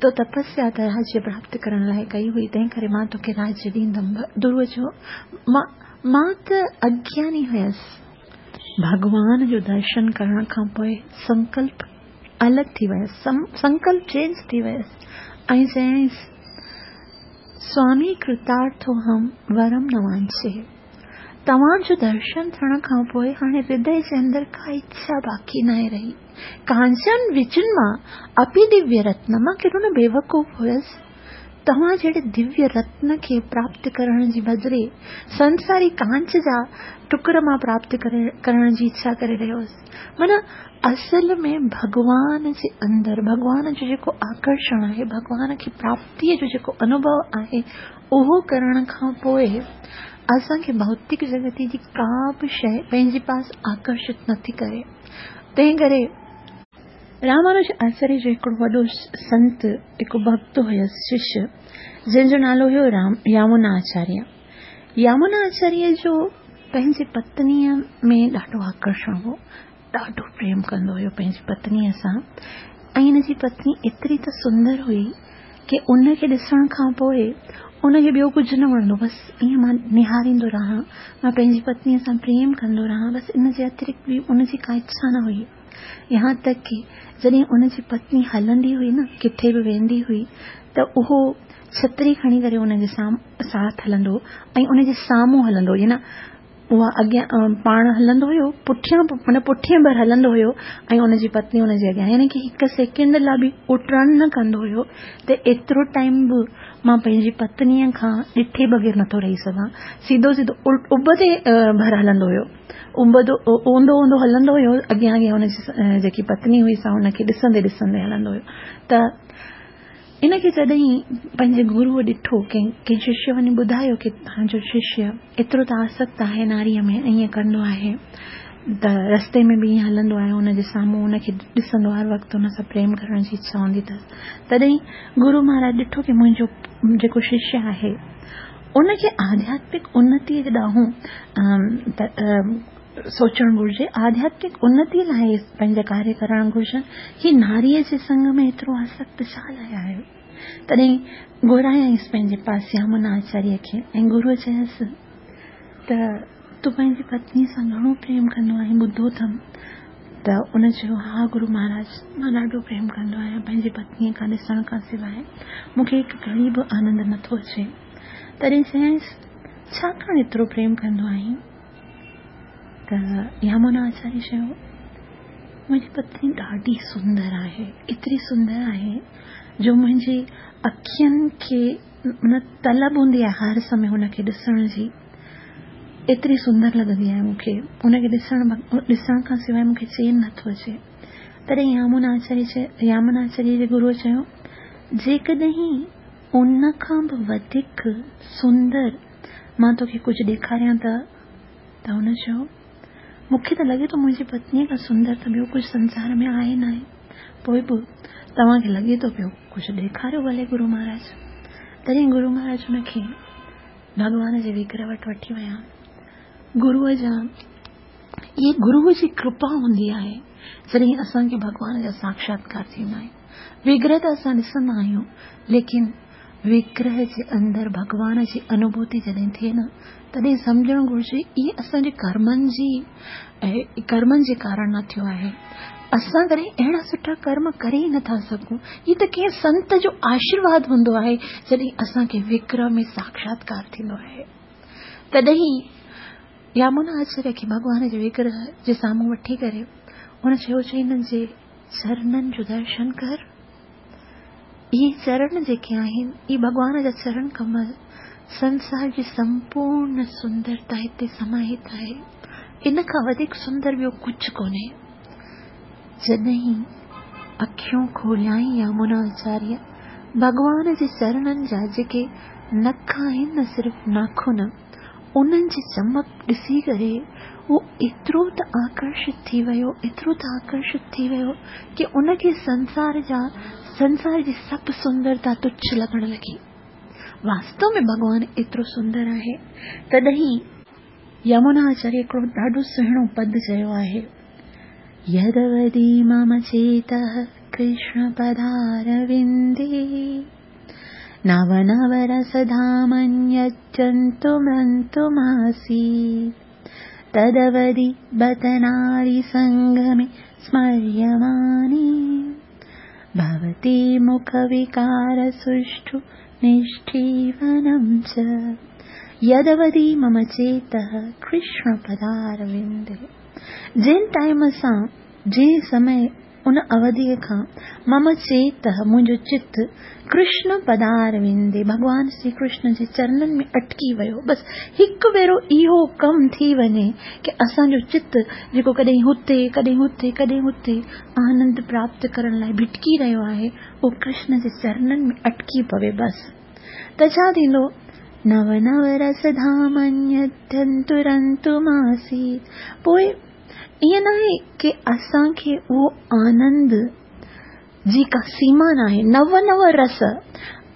तो तपस्या त राज्य प्राप्त करण लाइ कई हुई, तंहिं करे मां तोखे राज्य ॾींदमि। ध्रुव चयो, मां मां त अज्ञानी हुयसि। भॻवान जो दर्शन करण खां पोइ संकल्प अलॻि थी वियुसि, संकल्प चेंज थी वियुसि ऐं चयाईंसि, स्वामी कृतार्थो हम वरम न वांछे। तव्हांजो दर्शन थियण खां पोइ हाणे हृदय जे अंदरि का इच्छा बाक़ी नाहे रही। कांचन विचन मां अपि दिव्य रत्न, मां केॾो न बेवकूफ़ हुयसि, तव्हां जहिड़े दिव्य रत्न खे प्राप्त करण जी बदिरे संसारी कांच जा टुकर मां प्राप्त करण जी इच्छा करे रहियो हुउसि। माना असल में भॻवान जे अंदरि भॻवान जो जेको आकर्षण आहे, भॻवान खे प्राप्तीअ जो जेको अनुभव आहे, उहो करण खां पोइ असांखे भौतिक जगत जी का बि शइ पंहिंजे पास आकर्षित नथी करे। तंहिं करे रामानुज आचार्य जो हिकिड़ो वॾो संत, हिकु भक्त हुयुसि शिष्य, जंहिंजो नालो हुयो राम यामुना आचार्य। यामुना आचार्य जो पंहिंजी पत्नीअ में ॾाढो आकर्षण हो, ॾाढो प्रेम कंदो हुयो पंहिंजी पत्नीअ सां। ऐं हिन जी पत्नी एतिरी त सुंदर हुई की उनखे ॾिसण खां पोइ उनखे ॿियो कुझु न वणंदो, बसि ईअं मां निहारींदो रहां, मां पंहिंजी पत्नीअ सां प्रेम कंदो रहां, बसि इन जे अतिरिक्त बि उनजी का इच्छा न हुई। यहाँ तक कि जॾहिं उनजी पत्नी हलंदी हुई न, किथे बि वेंदी हुई, त उहो छतरी खणी करे उनजे साथ हलंदो ऐं उनजे साम्हूं हलंदो, हुई न اها اڳيان پاڻ هلندو هيو، پٺيان معنيٰ پٺئين ڀر هلندو هيو ۽ ان جي پتني ان جي اڳيان، يعني ڪه هڪ سيڪنڊ لاءِ به اهو ٽرن نه ڪندو هيو ته ايترو ٽائيم به مان پنهنجي پتنيءَ کان ڏٺي بغير نٿو رهي سگهان. سڌو سڌو اڀ تي ڀر هلندو هيو، اڀ اونڌو اونڌو هلندو هيو، اڳيان اڳيان ان جي جيڪي پتني هئي سا ان کي ڏسندي ڏسندي هلندو هيو. ته ان کي جڏهن پنهنجي گروءَ ڏٺو، ڪنهن ڪنهن ششيه وڃي ٻڌايو ڪه توهان جو ششيه ايترو ته آسڪت آهي ناريءَ ۾ ائين ڪندو آهي، ته رستي ۾ به ائين هلندو آهي، ان جي سامهون ان کي ڏسندو هر وقت ان سان پريم ڪرڻ جي اڇا هوندي اٿس. تڏهن گرو مهاراج ڏٺو ڪه منهنجو جيڪو ششيه آهي ان کي آڌياتمڪ انتيءَ جي ڏانهن سوچڻ گهرجي، آڌياتمڪ انتيءَ لاءِ پنهنجا ڪاريه ڪرڻ گهرجن. هي ناريءَ جي سنگ ۾ ايترو آسڪت ڇا لاءِ آهي؟ تڏهن گهرايائينس پنهنجي پاس يامنا آچاريه کي ۽ گروءَ چيس ته تون پنهنجي پتنيءَ سان گهڻو پريم ڪندو آهين، ٻڌو اٿم. ته ان چيو ها گرو مهاراج، مان ڏاڍو پريم ڪندو آهيان، پنهنجي پتنيءَ کان ڏسڻ کان سواءِ مون کي هڪ گهڙي به آنند نٿو اچي. تڏهن چيائينس ڇا ڪاڻ ايترو پريم ڪندو آهين؟ ته يامنا آچاريه چيو منهنجي پتني ڏاڍي سندر آهي، ايتري سندر آهي جو منهنجي اکين کي نه طلب هوندي آهي هر سمي هن کي ڏسڻ جي، ايتري سندر لڳندي آهي مون کي، هن کي ڏسڻ ڏسڻ کان سواءِ مون کي چين نٿو اچي. تڏهن يامنا آچاريه يامنا آچاريه جي گروءَ چيو جيڪڏهن ان کان به وڌيڪ سندر مان توکي ڪجهه ڏيکاريان ته؟ ته هن چيو مون کي ته لڳي ٿو منهنجي پتنيءَ کان سندر ته ٻيو ڪجهه سنسار ۾ آهي نه آهي، پوءِ به توهان کي لڳي ٿو پيو ڪجهه ڏيکاريو ڀلي گرو مهاراج. تڏهن گرو مهاراج هن کي ڀڳوان جي وگرهه وٽ وٺي ويا. گروءَ جا اها گروءَ جي ڪرپا هوندي آهي جڏهن اسان کي ڀڳوان جا ساڪشاتڪار ٿيندا آهن. وگرهه ته اسان ڏسندا آهيون، ليڪن وگرهه جي اندر ڀڳوان جي انوڀوتي جڏهن ٿئي نه، تڏهن سمجهڻ گهرجي اهي اسان جي ڪرمن جي ڪرمن جي ڪارڻ نه ٿيو آهي. اسان ڪڏهن اهڙا سٺا ڪرم ڪري ئي نٿا سگهون. هيءَ ته ڪنهن سنت جو آشيرواد هوندو آهي جڏهن اسان کي وگرهه ۾ ساڪشاتڪار ٿيندو آهي. تڏهن يامنا آچاريه کي ڀڳوان جي وگرهه جي سامهون وٺي ڪري هن چيو چئي هنن جي چرنن جو درشن ڪر، اهي چرڻ جيڪي آهن اهي ڀڳوان جا چرڻ ڪمل سنسار جي سمپورڻ سندرتا هتي سماهت آهي، ان کان وڌيڪ سندر ٻيو ڪجهه ڪونهي. جڏهن اکيون کوليائين يامنا آچاريه ڀڳوان جي چرڻن جا جيڪي نک آهن نه، صرف ناخن، انهن جي چمڪ ڏسي ڪري اهو ايترو ته آڪرشت ٿي ويو، ايترو ته آڪرشت ٿي ويو ڪه ان کي سنسار جا سنسار جي سڀ سندرتا تڇ لڳڻ لڳي. واستو ۾ ڀڳوان ايترو سندر آهي. تڏهن يمنا آچاريه هڪڙو ڏاڍو سهڻو پد چيو آهي، يدوڌي مم چيتः ڪرشن پدارودي نو نو رسڌامन्यजन्तुमन्तुमासीत् तदवधि बत नारी सङ्गमे स्मर्यमाणे भवति मुखविकारसुष्ठु निष्ठीवनं च यदवधि मम चेतः कृष्ण पदारविन्दे। जंहिं टाइम सां, जंहिं समय उन अवधीअ खां मम चेतः मुंहिंजो चित कृष्ण पदारविंदे भॻवान श्री कृष्ण जे चरणनि में अटकी वियो। बसि हिकु भेरो इहो कमु थी वञे की असांजो चित जेको कॾहिं हुते कॾहिं हुते कॾहिं हुते आनंद प्राप्त करण लाइ भिटकी रहियो आहे, उहो कृष्ण जे चरणनि में अटकी पवे बसि। त छा थींदो? नव नव रसधामन्यत्यन्तुरन्तुमासीत्। पोइ ईअं न आहे की असांखे उहो आनंद जी का सीमा न आहे, नव नव रस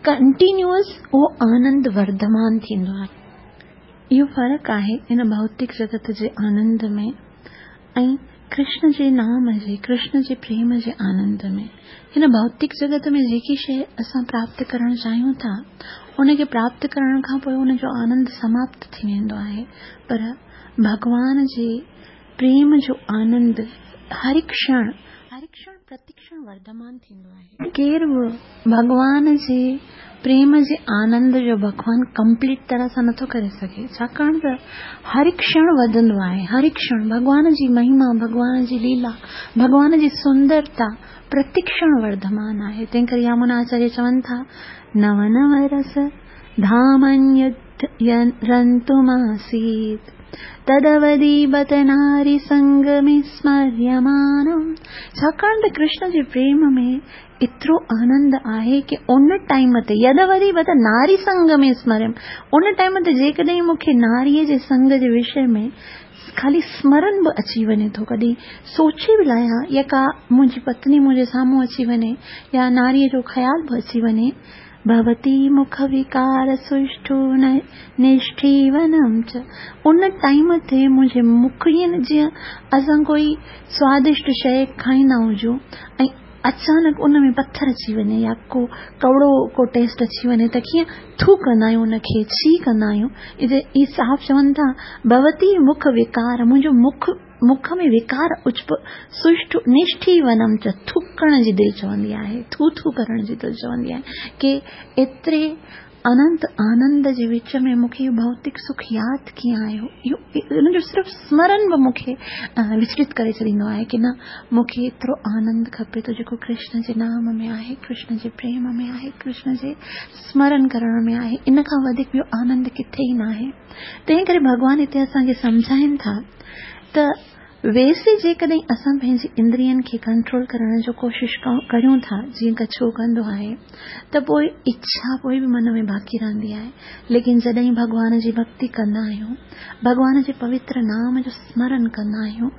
कंटिन्यूअस उहो आनंद वर्धमान थींदो आहे। इहो फ़र्क़ु आहे इन भौतिक जगत जे आनंद में ऐं कृष्ण जे नाम जे, कृष्ण जे प्रेम जे आनंद में। हिन भौतिक जगत में जेकी शइ असां प्राप्त करणु चाहियूं था, उनखे प्राप्त करण खां पोइ उनजो आनंद समाप्त थी वेंदो आहे, पर भॻवान जे प्रेम जो आनंद हर क्षण हर क्षण प्रतिक्षण वर्धमान थींदो आहे। केरु बि भॻवान जे प्रेम जे आनंद जो भॻवान कंप्लीट तरह सां नथो करे सघे, छाकाणि त हर क्षण वधंदो आहे। हर क्षण भॻवान जी महिमा, भॻवान जी लीला, भॻवान जी सुंदरता प्रतिक्षण वर्धमान आहे। तंहिं करे यामुनाचार्य चवनि था, नव नव रस धामन्यरन्तुमासीत् तदवधि बत नारी संग में स्मर्यमाणम्। छाकाणि त कृष्ण जे प्रेम में एतिरो आनंद आहे की उन टाइम ते यदवधि बत नारी संग में स्मर्यम, उन टाइम ते जेकॾहिं मूंखे नारीअ जे संग जे विषय में ख़ाली स्मरण बि अची वञे थो, कॾहिं सोचे बि लाहियां या का मुंहिंजी पत्नी मुंहिंजे साम्हूं अची वञे या नारीअ जो ख़्याल बि अची वञे, भवती मुख विकार सुष्ठु निष्ठीवनम च, उन टाइम ते मुंहिंजे मुख ईअं जीअं असां कोई स्वादिष्ट शइ खाईंदा हुजूं ऐं अचानक उन में पथर अची वञे या को कौड़ो को टेस्ट अची वञे त कीअं थू कंदा आहियूं, उनखे छी कंदा आहियूं। इहे साफ़ चवनि था, भवती मुख विकार, मुंहिंजो मुख मुख में विकार उच्प सुष्ठु निष्ठीवनम च, थुकण जी दिलि चवंदी आहे, थू थू करण जी दिलि चवंदी आहे की एतिरे अनंत आनंद जे विच में मूंखे इहो भौतिक सुख यादि कीअं आयो। इहो हुनजो सिर्फ़ु स्मरण बि मूंखे विचलित करे छॾींदो आहे की न, मूंखे एतिरो आनंद खपे थो जेको कृष्ण जे नाम में आहे, कृष्ण जे प्रेम में आहे, कृष्ण जे स्मरण करण में आहे। इन खां वधीक ॿियो आनंद किथे ई न आहे। तंहिं करे भॻवान हिते असांखे सम्झाइनि था त वैसे जेकॾहिं असां पंहिंजी इंद्रियनि खे कंट्रोल करण जो कोशिशि करियूं था, जीअं कछो कंदो आहे, त पोइ इच्छा पोइ बि मन में बाक़ी रहंदी आहे। लेकिन जॾहिं भॻवान जी भक्ति कंदा आहियूं, भॻवान जे पवित्र नाम जो स्मरण कंदा आहियूं,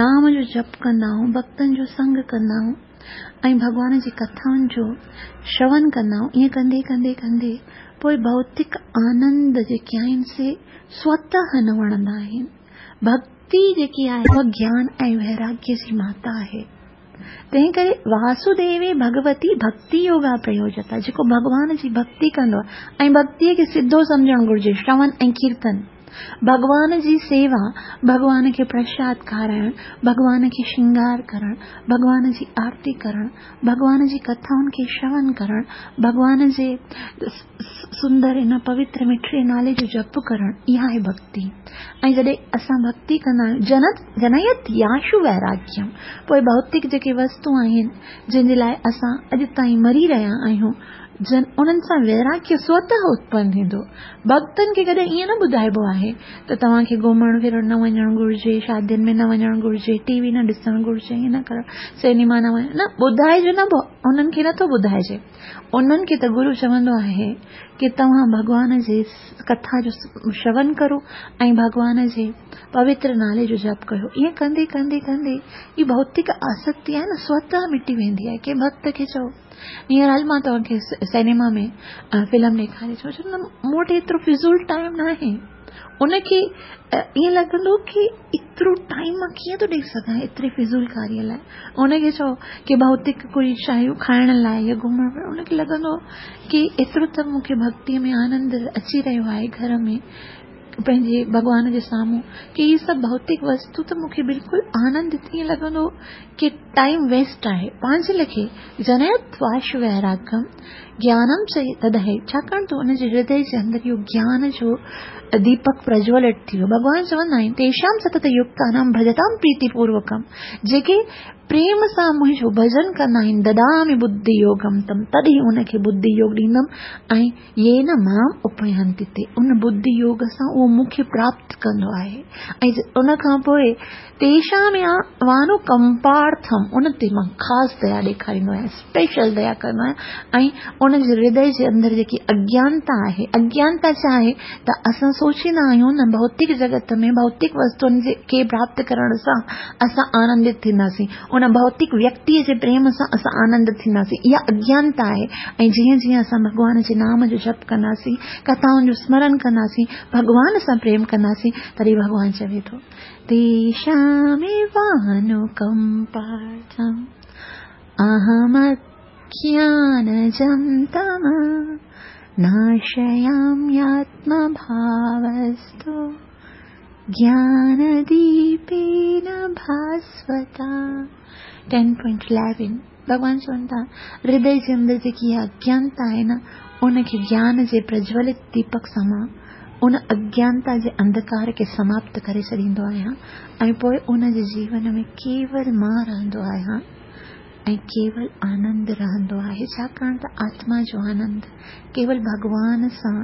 नाम जो जप कंदा आहियूं, भक्तनि जो संग कंदा आहियूं ऐं भॻवान जी कथाउनि जो श्रवण कंदा आहियूं, ईअं कंदे कंदे कंदे पोइ भौतिक आनंद जेके आहिनि से स्वतः न वणंदा आहिनि। भक्ति जेकी आहे उहा ज्ञान ऐं वैराग्य जी माता आहे। तंहिं करे वासुदेवे भगवती भक्ति योगा प्रयोजता, जेको भॻवान जी भक्ति कंदो आहे ऐं भक्तीअ खे सिधो सम्झणु घुरिजे, श्रवण ऐं कीर्तन, भॻवान जी सेवा, भॻवान खे प्रसाद खाराइण, भॻवान खे श्रृंगार करणु, भॻवान जी आरती करणु, भॻवान जी कथाउनि खे श्रवण करणु, भॻवान जे सुंदर हिन पवित्र मिठड़े नाले जो जप करणु, इहा आहे भक्ति। ऐं जॾहिं असां भक्ति कंदा आहियूं, जन जनयत याशु वैराग्यम, पोइ भौतिक जेके वस्तु आहिनि जंहिंजे लाइ असां अॼु ताईं मरी रहिया आहियूं, जन उन्हनि सां वैराग्य स्वतः उत्पन्न थींदो। भक्तनि खे कॾहिं ईअं न ॿुधाइबो आहे त तव्हांखे घुमणु फिरणु न वञणु घुरिजे, शादियुनि में न वञणु घुरिजे, टीवी न ॾिसणु घुरिजे, ईअं न करणु, सिनेमा न वञणु, न ॿुधाइजो न, उन्हनि खे नथो ॿुधाइजे। उन्हनि खे त गुरू चवंदो आहे की तव्हां भॻवान जे कथा जो श्रवण करो ऐं भॻवान जे पवित्र नाले जो जप कयो। ईअं कंदे कंदे कंदे ही भौतिक आसक्ति आहे न स्वतः मिटी वेंदी आहे। कंहिं भक्त खे चओ, हींअर हल मां तव्हांखे सिनेमा में फिल्म ॾेखारे चओ, चओ न मूं वटि एतिरो फिज़ूल टाइम न आहे। उनखे ईअं लॻंदो की एतिरो टाइम मां कीअं थो ॾेई सघां एतिरी फिज़ूल कारीअ लाइ। उनखे चओ की भौतिक कोई शयूं खाइण लाइ या घुमण फिरण, उनखे लॻंदो की एतिरो त मूंखे भक्तीअ में आनंद अची रहियो आहे घर में पंहिंजे भॻवान जे साम्हूं की हीअ सभु भौतिक वस्तु त मूंखे बिल्कुलु आनंद ईअं लॻंदो की टाइम वेस्ट आहे। पंहिंजे लिखे जनयत वाश वैरागम ज्ञानम च तदहे, छाकाणि त हुनजे हृदय जे अंदरि इहो ज्ञान जो दीपक प्रज्वलित थी वियो। भॻवान चवंदा आहिनि तेषां सतत युक्तानां भजतां प्रीतिपूर्वकं, जेके प्रेम सां मुंहिंजो भजन कंदा आहिनि, ददामि बुद्धि योगम तम, तॾहिं उनखे बुद्धि योग ॾींदमि ऐं येन मां उपयन्ति ते, उन बुद्धि योग सां उहो मूंखे प्राप्त कंदो आहे। ऐं उन खां पोइ तेषां वानुकंपार्थम, उन ते मां ख़ासि दया ॾेखारींदो आहियां, स्पेशल दया कंदो आहियां। ऐं उनजे हृदय जे अंदरि जेकी अज्ञानता आहे, अज्ञानता छा आहे त असां सोचींदा आहियूं न भौतिक जगत में भौतिक वस्तुनि खे प्राप्त करण सां असां आनंदित थींदासीं, उन भौतिक व्यक्तीअ जे प्रेम सां असां आनंदित थींदासीं, इहा अज्ञानता आहे। ऐं जीअं जीअं असां भॻवान जे नाम जो जप कंदासीं, कथाउनि जो स्मरण कंदासीं, भॻवान सां प्रेम कंदासीं, तॾहिं भॻवान चवे थो तेषामेवानुकम्पार्थम् अहमज्ञानजं तम नाशयाम्यात्मभावस्तु ज्ञानदीपेन भास्वता। ٽين پوائنٽ اليون، ڀڳوان چون ٿا، هردي جي اندر جيڪي اها اگيانتا آهي نه، ان کي گيان جي پرجولت ديپڪ سان مان ان اگيانتا جي انڌڪار کي سماپت ڪري ڇڏيندو آهيان ۽ پوءِ ان جي جيون ۾ ڪيول مان رهندو آهيان ۽ ڪيول آنند رهندو آهي، ڇاڪاڻ ته آتما جو آنند ڪيول ڀڳوان سان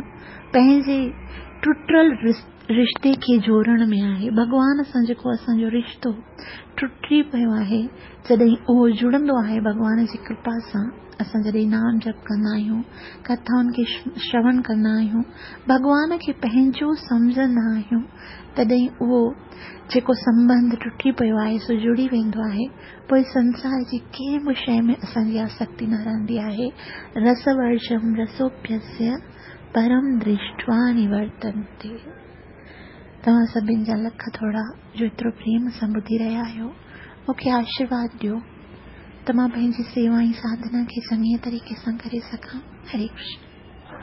پنهنجي ٽٽل رشتي کي جوڙڻ ۾ آهي. ڀڳوان سان جيڪو اسان جو رشتو ٽٽي پيو آهي، جڏهن اهو جڙندو آهي ڀڳوان جي ڪرپا سان، اسان جڏهن نام جپ ڪندا آهيون، ڪٿائن کي شروڻ ڪندا آهيون، ڀڳوان کي پنهنجو سمجهندا آهيون، تڏهن اهو جيڪو سنٻنڌ ٽٽي پيو آهي سو جڙي ويندو آهي. پوءِ سنسار جي ڪنهن به شيءِ ۾ اسان جي آسڪتي نه رهندي آهي. رسورجم رسوپيسيه پرم درشٽوا نورتنتي. توهان سڀني جا لک ٿورا جو ايترو پريم سان ٻڌي رهيا آهيو. مون کي آشيرواد ڏيو ته مان پنهنجي سيوا ۽ ساڌنا کي چڱي طريقي سان ڪري سگهان. هري ڪرشن.